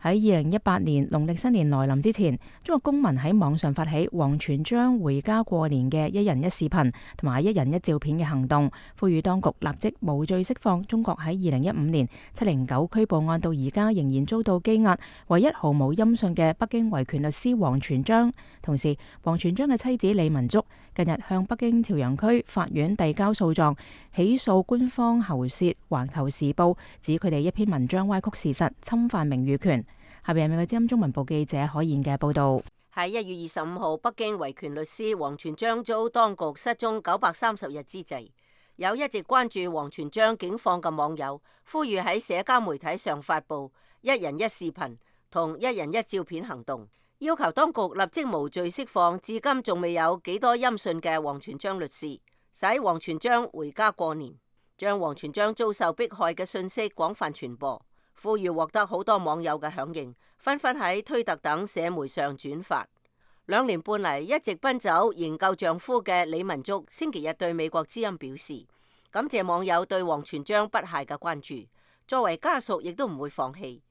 A: 喺二零一八年農曆新年來臨之前，中國公民喺網上發起王全璋回家過年嘅一人一視頻同埋一人一照片嘅行動，呼籲當局立即無罪釋放中國喺二零一五年七零九拘捕案到而家仍然遭到羈押、唯一毫無音訊嘅北京維權律師王全璋。同時，王全璋嘅妻子李文足近日向北京朝陽區法院遞交訴狀，起訴官方喉舌《環球時報》，指佢哋一篇文章歪曲事實、侵犯名譽權。下邊係美國之音中文部記者可燕嘅報道。
K: 喺一月二十五號，北京維權律師王全璋遭當局失蹤九百三十日之際，有一直關注王全璋境況嘅網友呼籲喺社交媒體上發布一人一視頻同一人一照片行動，要求當局立即無罪釋放至今仲未有幾多音訊嘅王全璋律師，使王全璋回家過年，將王全璋遭受迫害嘅訊息廣泛傳播，呼籲獲得好多網友嘅響應，紛紛喺推特等社媒上轉發。兩年半嚟一直奔走營救丈夫嘅李文足星期日對美國之音表示，感謝網友對王全璋不懈嘅關注，作為家屬亦都唔會放棄，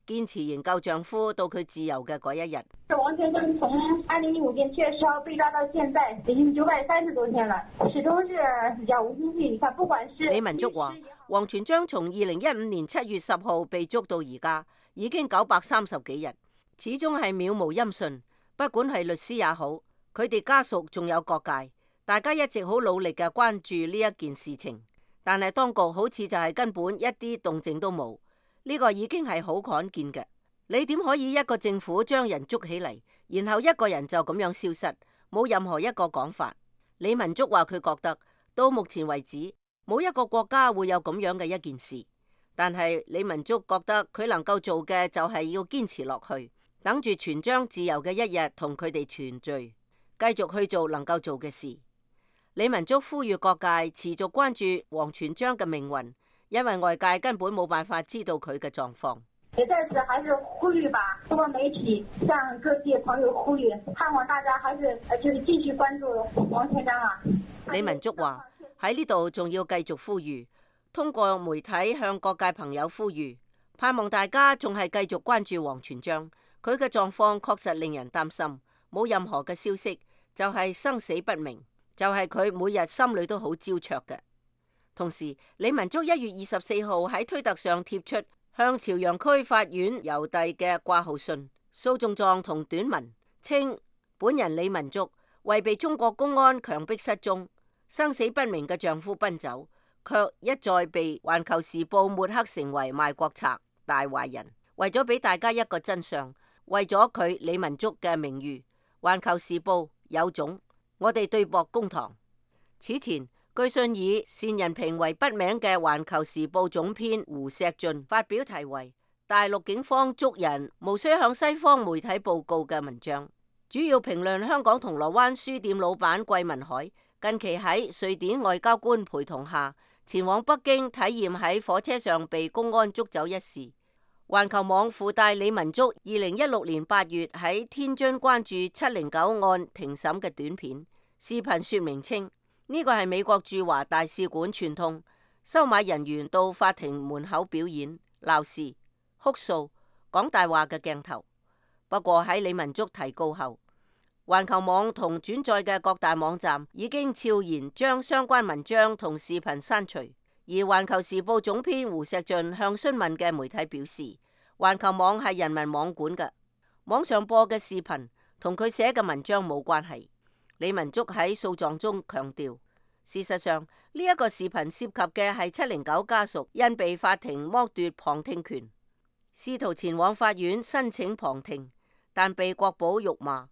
K: 堅持營救丈夫到佢自由嘅嗰一日。
M: 王全璋從二零零五年七月十號被抓到現在，已經九百三十多天了，始終是杳無音訊。你看，不管是
K: 李文足話，王全璋從二零一五年七月十號被捉到而家，已經九百三十幾日，始終係渺無音訊。不管係律師也好，佢哋家屬仲有各界，大家一直好努力嘅關注呢一件事情，但係當局好似就係根本一啲動靜都冇，呢個已經係好罕見嘅。你點可以一個政府將人捉起嚟，然後一個人就咁樣消失，冇任何一個講法？李文足話佢覺得到目前為止冇一個國家會有咁樣嘅一件事，但係李文足覺得佢能夠做嘅就係要堅持落去。等住全璋自由嘅一日，同佢哋團聚，繼續去做能夠做嘅事。李文足呼籲各界持續關注王全璋嘅命運，因為外界根本冇辦法知道佢嘅狀況。
M: 也在此還是呼籲吧，通過媒體向各界朋友呼籲，盼望大家還是就是繼續關注王全璋啊。
K: 李文足話喺呢度仲要繼續呼籲，通過媒體向各界朋友呼籲，盼望大家仲係繼續關注王全璋。佢嘅狀況確實令人擔心，冇任何嘅消息，就係生死不明，就係佢每日心裏都好焦灼嘅。同時，李文足一月二十四號喺推特上貼出向朝陽區法院郵遞嘅掛號信，訴狀狀同短文，稱本人李文足為被中國公安強迫失蹤、生死不明嘅丈夫奔走，卻一再被《環球時報》抹黑成為賣國賊、大壞人。為咗俾大家一個真相，為咗佢李文足嘅名譽，《環球時報》有種，我哋對簿公堂。此前，據信以單人平為筆名嘅《環球時報》總編胡錫進發表題為《大陸警方捉人無需向西方媒體報告》嘅文章，主要評論香港銅鑼灣書店老闆桂民海近期喺瑞典外交官陪同下前往北京體驗喺火車上被公安捉走一事。環球網附帶李文足二零一六年八月喺天津關注七零九案庭審嘅短片視頻，說明稱呢個係美國駐華大使館串通收買人員到法庭門口表演鬧事、哭訴、講大話嘅鏡頭。不過喺李文足提告後，環球網同轉載嘅各大網站已經悄然將相關文章同視頻刪除。而《環球時報》總編胡錫進向詢問嘅媒體表示，環球網係人民網管嘅，網上播嘅視頻同佢寫嘅文章冇關係。李文足喺訴狀中強調，事實上呢一個視頻涉及嘅係七零九家屬因被法庭剝奪旁聽權，試圖前往法院申請旁聽，但被國保辱罵、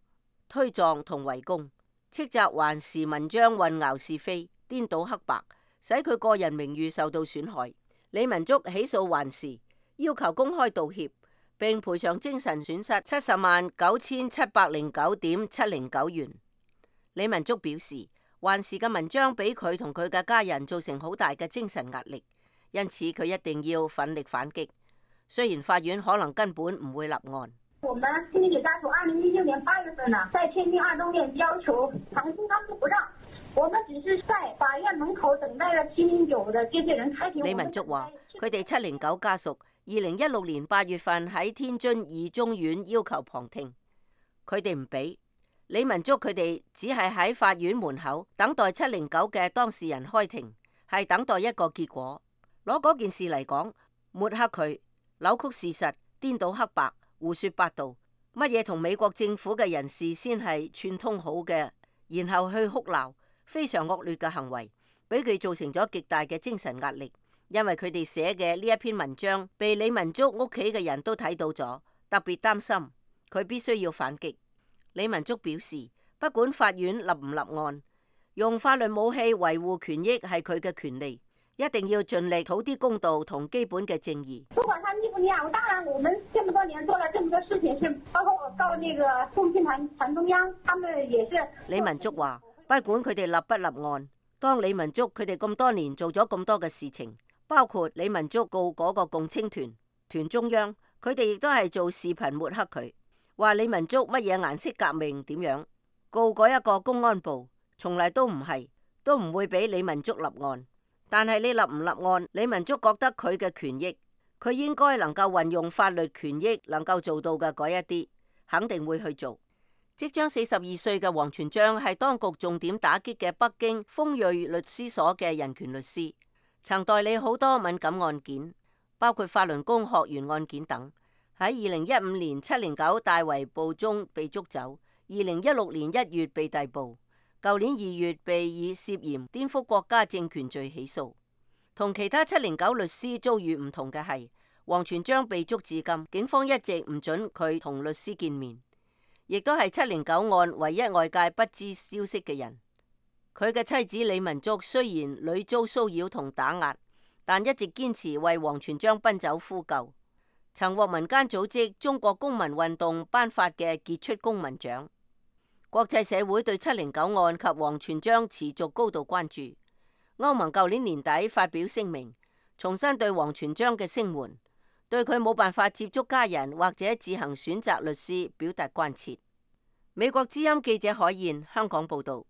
K: 推撞同圍攻，斥責環時文章混淆是非、顛倒黑白，使佢個人名譽受到損害。李文足起訴環時，要求公開道歉，並賠償精神損失七十萬九千七百零九點七零九元。李文足表示，環時嘅文章俾佢同佢嘅家人造成好大嘅精神壓力，因此佢一定要奮力反擊。雖然法院可能根本唔會立案。
M: 我們天津家屬二零一六年八月份呢，在天津二中院要求長期他們不讓。我們只是在法院門口等待了七零九的接見人開庭。李
K: 文足話，佢哋七零九家屬二零一六年八月份喺天津二中院要求旁聽，佢哋唔俾。李文足佢哋只係喺法院門口等待七零九嘅當事人開庭，係等待一個結果。攞嗰件事嚟講，抹黑佢、扭曲事實、顛倒黑白、胡說八道，乜嘢同美國政府嘅人士先係串通好嘅，然後去哭鬧。非常惡劣嘅行為，俾佢造成咗極大嘅精神壓力。因為佢哋寫嘅呢一篇文章，被李文足屋企嘅人都睇到咗，特別擔心，佢必須要反擊。李文足表示，不管法院立唔立案，用法律武器維護權益係佢嘅權利，一定要盡力討啲公道同基本嘅正義。
M: 不管他立不立案，我當然然我們這麼多年做了這麼多事情，是包括我告那個共青團團中央，他們也是。
K: 李文竹話：不管佢哋立不立案，當李文竹佢哋咁多年做咗咁多嘅事情，包括李文竹告嗰個共青團團中央，佢哋亦都係做視頻抹黑佢，話李文竹乜嘢顏色革命點樣，告嗰一個公安部，從嚟都唔係，都唔會俾李文竹立案。但係你立唔立案，李文竹覺得佢嘅權益，佢應該能夠運用法律權益能夠做到嘅嗰一啲，肯定會去做。即將四十二歲嘅王全璋係當局重點打擊嘅北京豐瑞律師所嘅人權律師，曾代理好多敏感案件，包括法輪功學員案件等。喺二零一五年七零九大圍捕中被捉走，二零一六年一月被逮捕。舊年二月被以涉嫌顛覆國家政權罪起訴。同其他七零九律師遭遇唔同嘅係，王全璋被捉至今，警方一直唔准佢同律師見面，亦都係七零九案唯一外界不知消息嘅人。佢嘅妻子李文竹雖然屢遭騷擾同打壓，但一直堅持為王全璋奔走呼救，曾獲民間組織中國公民運動頒發嘅傑出公民獎。國際社會對七零九案及王全璋持續高度關注。歐盟舊年年底發表聲明，重新對王全璋嘅聲援，對佢冇辦法接觸家人或者自行選擇律師表達關切。美國之音記者海燕香港報道。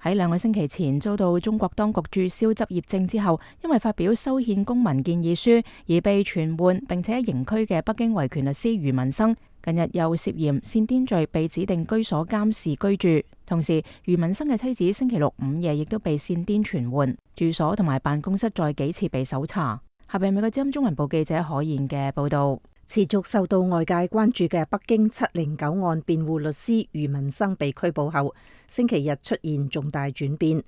A: 喺兩個星期前遭到中國當局註銷執業證之後，因為發表修憲公民建議書而被傳喚並且刑拘嘅北京維權律師余文生，近日又涉嫌煽顛罪被指定居所監視居住。同時，余文生嘅妻子星期六午夜亦都被煽顛傳喚，住所同埋辦公室再幾次被搜查。下邊美國之音中文部記者可言嘅報道。
L: 持續受到外界關注嘅北京七零九案辯護律師余文生被拘捕後，星期日出現重大轉變。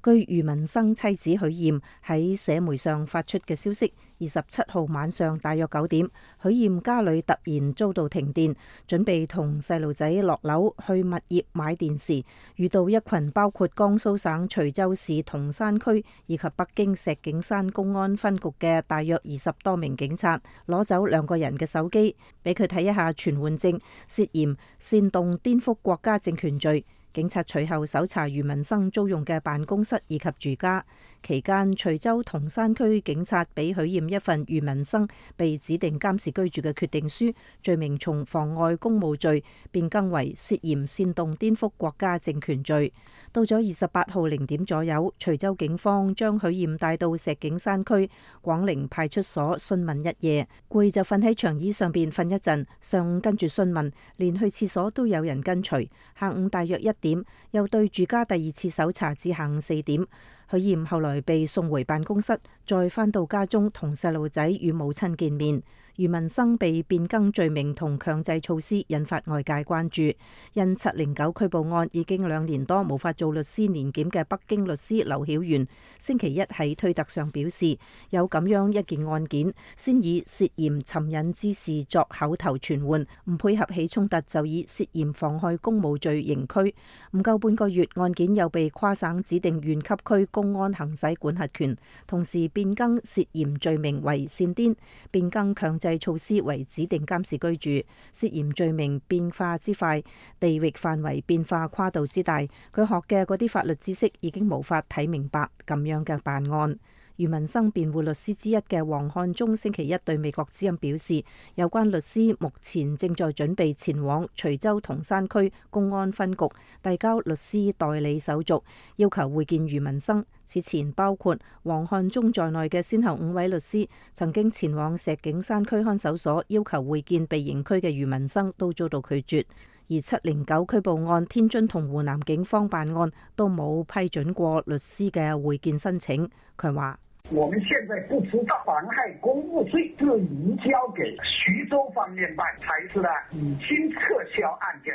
L: 據余文生妻子許艷喺社媒上發出嘅消息，二十七號晚上大約九點，許艷家裏突然遭到停電，準備同細路仔落樓去物業買電時，遇到一群包括江蘇省徐州市同山區以及北京石景山公安分局嘅大約二十多名警察，攞走兩個人嘅手機，俾佢睇一下傳喚證，涉嫌煽動顛覆國家政權罪。警察隨後搜查余文生租用嘅辦公室以及住家，期間徐州同山區警察俾許艷一份余文生被指定監視居住嘅決定書，罪名從妨礙公務罪變更為涉嫌煽動顛覆國家政權罪。到咗二十八號零點左右，徐州警方將許艷帶到石景山區廣寧派出所詢問一夜，攰就瞓喺長椅上邊瞓一陣，上午跟住詢問，連去廁所都有人跟隨。下午大約一點又對住家第二次搜查至下午四點。許艷後來被送回辦公室，再返到家中同細路仔與母親見面。余文生被變更罪名同強制措施，引發外界關注。因七零九拘捕案已經兩年多無法做律師年檢嘅北京律師劉曉元，星期一喺推特上表示，有咁樣一件案件，先以涉嫌尋釁滋事作口頭傳喚，唔配合起衝突就以涉嫌妨害公務罪刑拘。唔夠半個月，案件又被跨省指定縣級區公安行使管轄權，同時變更涉嫌罪名為煽顛，變更強制措施為指定監視居住，涉嫌罪名變化之快，地域範圍變化跨度之大，佢學嘅嗰啲法律知識已經無法睇明白咁樣嘅辦案。余文生辯護律師之一嘅黃漢忠星期一對美國之音表示，有關律師目前正在準備前往徐州同山區公安分局遞交律師代理手續，要求會見余文生。此前包括黃漢忠在內嘅先後五位律師曾經前往石景山區看守所要求會見被刑拘嘅余文生，都遭到拒絕。而七零九拘捕案，天津同湖南警方辦案都冇批准過律師嘅會見申請。佢話：
N: 我們現在不知道妨害公務罪就移交給徐州方面辦，才是呢已經撤銷案件。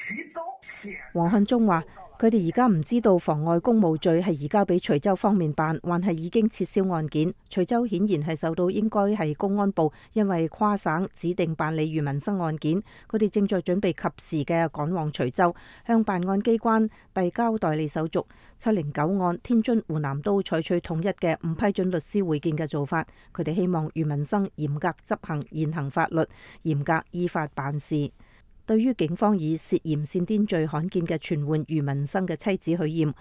N: 徐州
L: 黃漢忠話：佢哋而家唔知道妨礙公務罪係移交俾徐州方面辦，還係已經撤銷案件。徐州顯然係受到應該係公安部因為跨省指定辦理余文生案件，佢哋正在準備及時嘅趕往徐州，向辦案機關遞交代理手續。七零九案天津、湖南都採取統一嘅唔批准律師會見嘅做法，佢哋希望余文生嚴格執行現行法律，嚴格依法辦事。對於警方以涉嫌煽顛罪罕見嘅傳喚余文生嘅妻子許艷，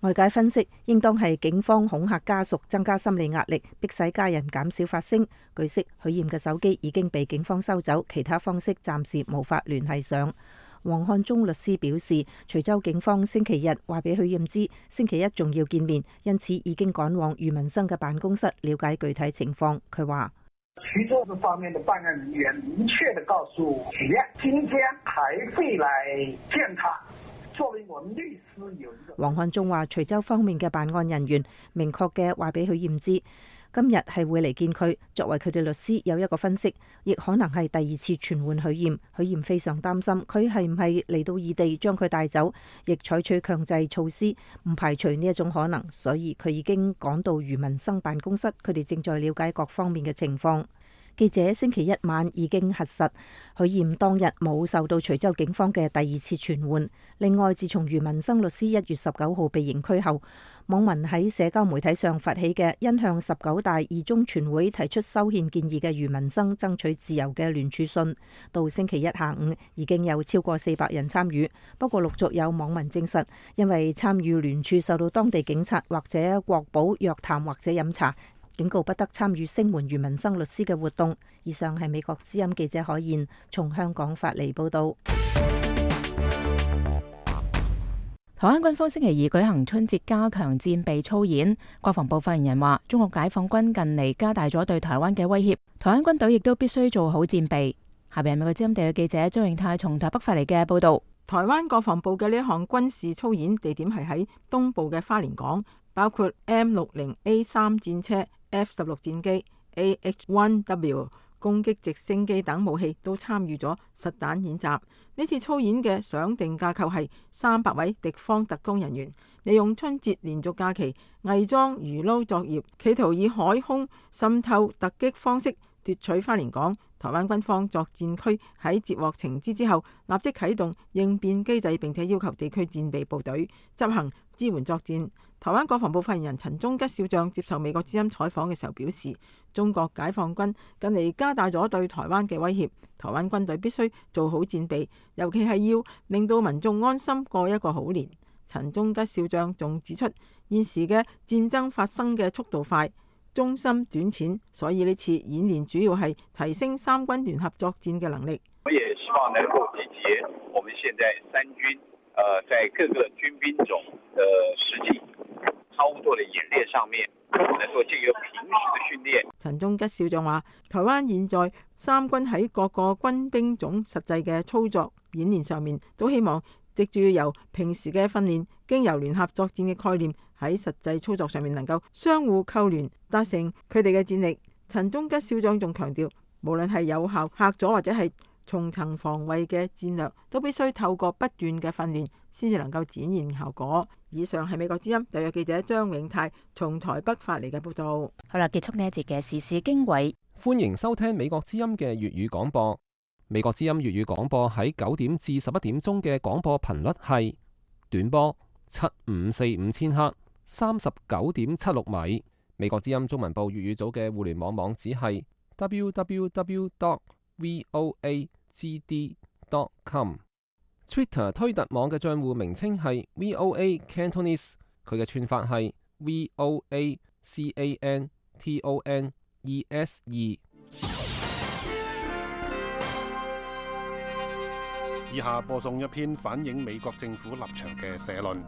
L: 外界分析應當係警方恐嚇家屬，增加心理壓力，迫使家人減少發聲。據悉，許艷嘅手機已經被警方收走，其他方式暫時無法聯繫上。黃漢忠律師表示，徐州警方星期日話俾許艷知，星期一仲要見面，因此已經趕往余文生嘅辦公室了解具體情況。佢話：
N: 徐州這方面的辦案人員明確地告訴許艷，今天還會來見他。作為我們律師有一個。
L: 黃漢忠話，徐州方面嘅辦案人員明確嘅話俾許艷知，今日係會嚟見佢。作為佢哋律師有一個分析，亦可能係第二次傳喚許艷。許艷非常擔心佢係唔係嚟到異地將佢帶走，亦採取強制措施，唔排除呢一種可能，所以佢已經趕到余文生辦公室，佢哋正在了解各方面嘅情況。記者星期一晚已經核實，許艷當日冇受到徐州警方嘅第二次傳喚。另外，自從余文生律師一月十九號被刑拘後，網民喺社交媒體上發起嘅因向十九大二中全會提出修憲建議嘅余文生爭取自由嘅聯署信，到星期一下午已經有超過四百人參與。不過陸續有網民證實，因為參與聯署受到當地警察或者國保約談或者飲茶，警告不得參與聲援余文生律師嘅活動。以上係美國之音記者海燕從香港發嚟報道。
A: 台灣軍方星期二舉行春節加強戰備操演，國防部發言人話：中國解放軍近嚟加大咗對台灣嘅威脅，台灣軍隊亦都必須做好戰備。下邊係美國之音地嘅記者張永泰從台北發嚟嘅報道。
F: 台灣國防部嘅呢一項軍事操演地點係喺東部嘅花蓮港，包括 M 六零 A 三戰車、F 十六戰機、A H 一 W 攻擊直升機等武器都參與咗實彈演習。呢次操演嘅想定架構係三百位敵方特工人員利用春節連續假期偽裝魚撈作業，企圖以海空滲透突擊方式奪取花蓮港。台灣軍方作戰區喺接獲情資之後，立即啟動應變機制，並且要求地區戰備部隊執行支援作戰。台灣國防部發言人陳忠吉少將接受美國之音採訪嘅時候表示，中國解放軍近嚟加大咗對台灣嘅威脅，台灣軍隊必須做好戰備，尤其係要令到民眾安心過一個好年。陳忠吉少將仲指出，現時嘅戰爭發生嘅速度快、中心短淺，所以呢次演練主要係提升三軍聯合作戰嘅能力。
O: 我也希望能夠集結我們現在三軍，呃，在各個軍兵種的實際操作的演練上面，能夠借由平時的訓練。
F: 陳忠吉少將話，台灣現在三軍喺各個軍兵種實際嘅操作演練上面，都希望藉住由平時嘅訓練，經由聯合作戰嘅概念，喺實際操作上面能夠相互扣聯，達成佢哋嘅戰力。陳忠吉少將仲強調，無論係有效嚇阻或者係重層防衛嘅戰略，都必須透過不斷嘅訓練，先至能夠展現效果。以上係美國之音特約記者張永泰從台北發嚟嘅報道。
A: 好啦，結束呢一節嘅時事經緯，
C: 歡迎收聽美國之音嘅粵語廣播。美國之音粵語廣播喺九點至十一點鐘嘅廣播頻率係短波七五四五千赫，三十九點七六米。美國之音中文部粵語組嘅互聯網網址係 w w w dot voa g d dot com。Twitter 推特網嘅賬戶名稱係 V O A Cantonese， 佢嘅串法係 V O A C A N T O N E S E。
E: 以下播送一篇反映美國政府立場嘅社論。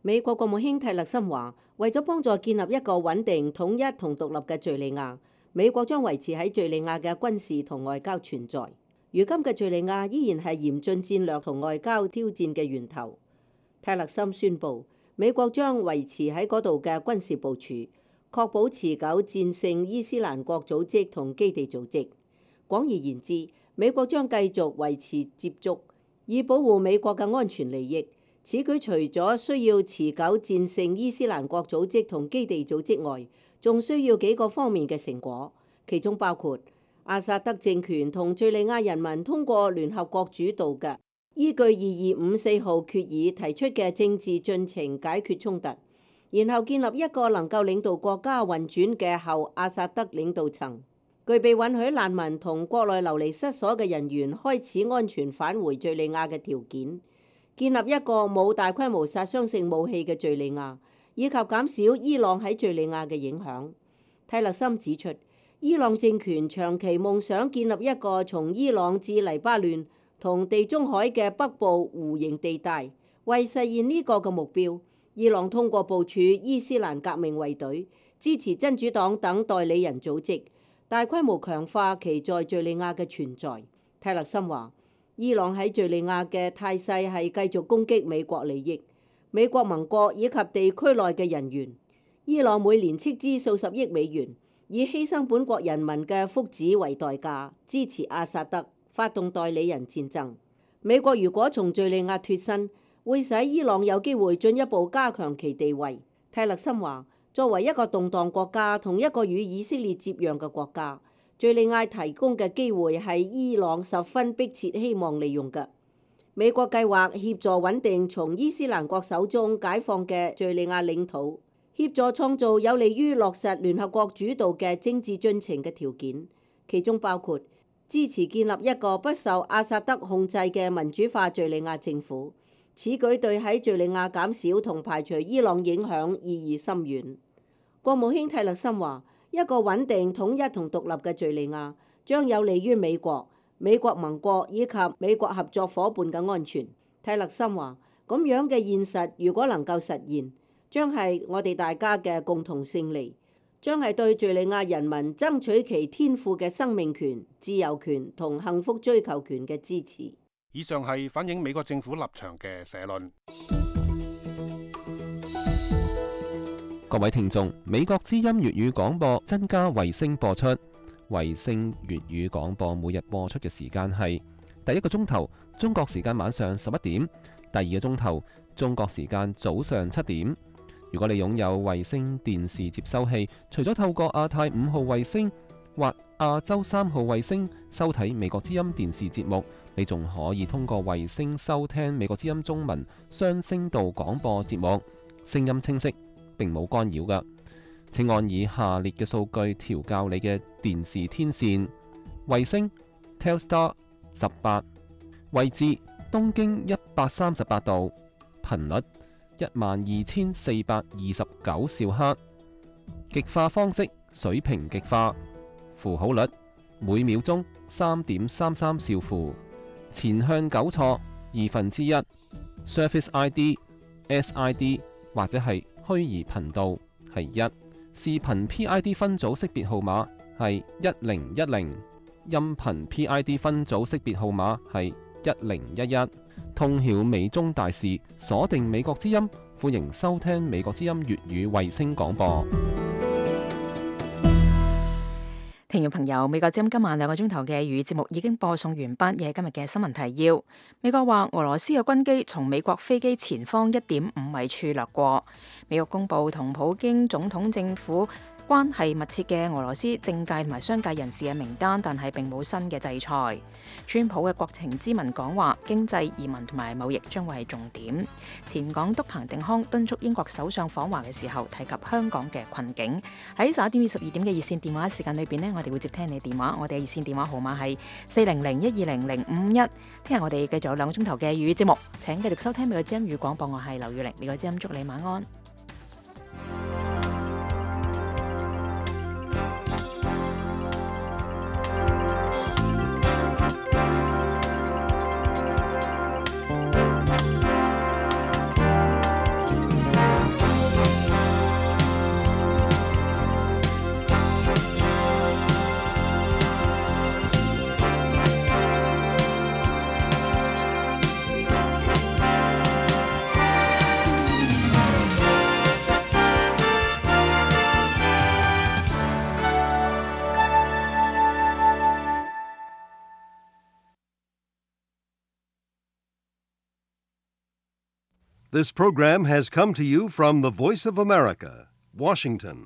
K: 美國國務卿蒂勒森話，為咗幫助建立一個穩定、統一同獨立嘅敘利亞，美國將維持喺敘利亞嘅軍事同外交存在。如今嘅敘利亞依然係嚴峻戰略同外交挑戰嘅源頭。蒂勒森宣布，美國將維持喺嗰度嘅軍事部署，確保持久戰勝伊斯蘭國組織同基地組織。廣而言之，美國將繼續維持接觸，以保護美國嘅安全利益。此舉除咗需要持久戰勝伊斯蘭國組織同基地組織外，仲需要幾個方面嘅成果，其中包括阿薩德政權同敘利亞人民通過聯合國主導嘅依據二二五四號決議提出嘅政治進程解決衝突，然後建立一個能夠領導國家運轉嘅後阿薩德領導層，具備允許難民同國內流離失所嘅人員開始安全返回敘利亞嘅條件，建立一個冇大規模殺傷性武器嘅敘利亞，以及減少伊朗喺敘利亞嘅影響。泰勒森指出，伊朗政權長期夢想建立一個從伊朗至黎巴嫩同地中海嘅北部弧形地帶，為實現呢個嘅目標，伊朗通過部署伊斯蘭革命衛隊、支持真主黨等代理人組織，大規模強化其在敘利亞嘅存在。泰勒森話，伊朗喺敘利亞嘅態勢係繼續攻擊美國利益、美國盟國以及地區內嘅人員。伊朗每年斥資數十億美元，以犧牲本國人民嘅福祉為代價，支持阿薩德發動代理人戰爭。美國如果從敘利亞脫身，會使伊朗有機會進一步加強其地位。泰勒森話，作為一個動盪國家同一個與以色列接壤嘅國家，敘利亞提供嘅機會係伊朗十分迫切希望利用嘅。美國計劃協助穩定從伊斯蘭國手中解放嘅敘利亞領土，協助創造有利於落實聯合國主導嘅政治進程嘅條件，其中包括支持建立一個不受阿薩德控制嘅民主化敘利亞政府。此舉對喺敘利亞減少同排除伊朗影響意義深遠。國務卿泰勒森話，一個穩定、統一同獨立嘅敘利亞將有利於美國、美國盟國以及美國合作伙伴嘅安全。泰勒森話，咁樣嘅現實如果能夠實現，將係我哋大家嘅共同勝利，將係對敘利亞人民爭取其天賦嘅生命權、自由權同幸福追求權嘅支持。
E: 以上係反映美國政府立場嘅社論。
C: 各位聽眾，美國之音粵語廣播增加衛星播出，衛星粵語廣播每日播出嘅時間係第一個鐘頭中國時間晚上十一點，第二個鐘頭中國時間早上七點。如果你擁有衛星電視接收器，除咗透過亞太五號衛星或亞洲三號衛星收睇美國之音電視節目，你仲可以通過衛星收聽美國之音中文雙聲道廣播節目，聲音清晰，並冇干擾㗎。請按以下列嘅數據調校你嘅電視天線：衛星 Telstar 十八，位置東經一百三十八度，頻率一萬二千四百二十九兆赫，極化方式水平極化，符號率每秒鐘三點三三兆符，前向糾錯二分之一 ，Service I D、S I D 或者係虛擬頻道係一，視頻 P I D 分組識別號碼係一零一零，音頻 P I D 分組識別號碼係一零一一。通曉美中大事，鎖定美國之音，歡迎收聽美國之音粵語衛星廣播。
A: 聽眾朋友，美國之音今晚兩個鐘頭嘅粵語節目已經播送完畢，嘅今日嘅新聞提要。美國話俄羅斯嘅軍機從美國飛機前方一點五米處掠過。美國公布同普京總統政府關係密切嘅俄羅斯政界同埋商界人士嘅名單，但係並冇新嘅制裁。川普嘅國情咨文講話，經濟、移民同埋貿易將會係重點。前港督彭定康敦促英國首相訪華嘅時候提及香港嘅困境。喺十一點至十二點嘅熱線電話時間裏邊呢，我哋會接聽你電話。我哋嘅熱線電話號碼係四零零一二零零五一。聽日我哋繼續有兩個鐘頭嘅粵語節目，請繼續收聽美國之音粵語廣播。我係劉玉玲，美國之音祝你晚安。
P: This program has come to you from the Voice of America, Washington.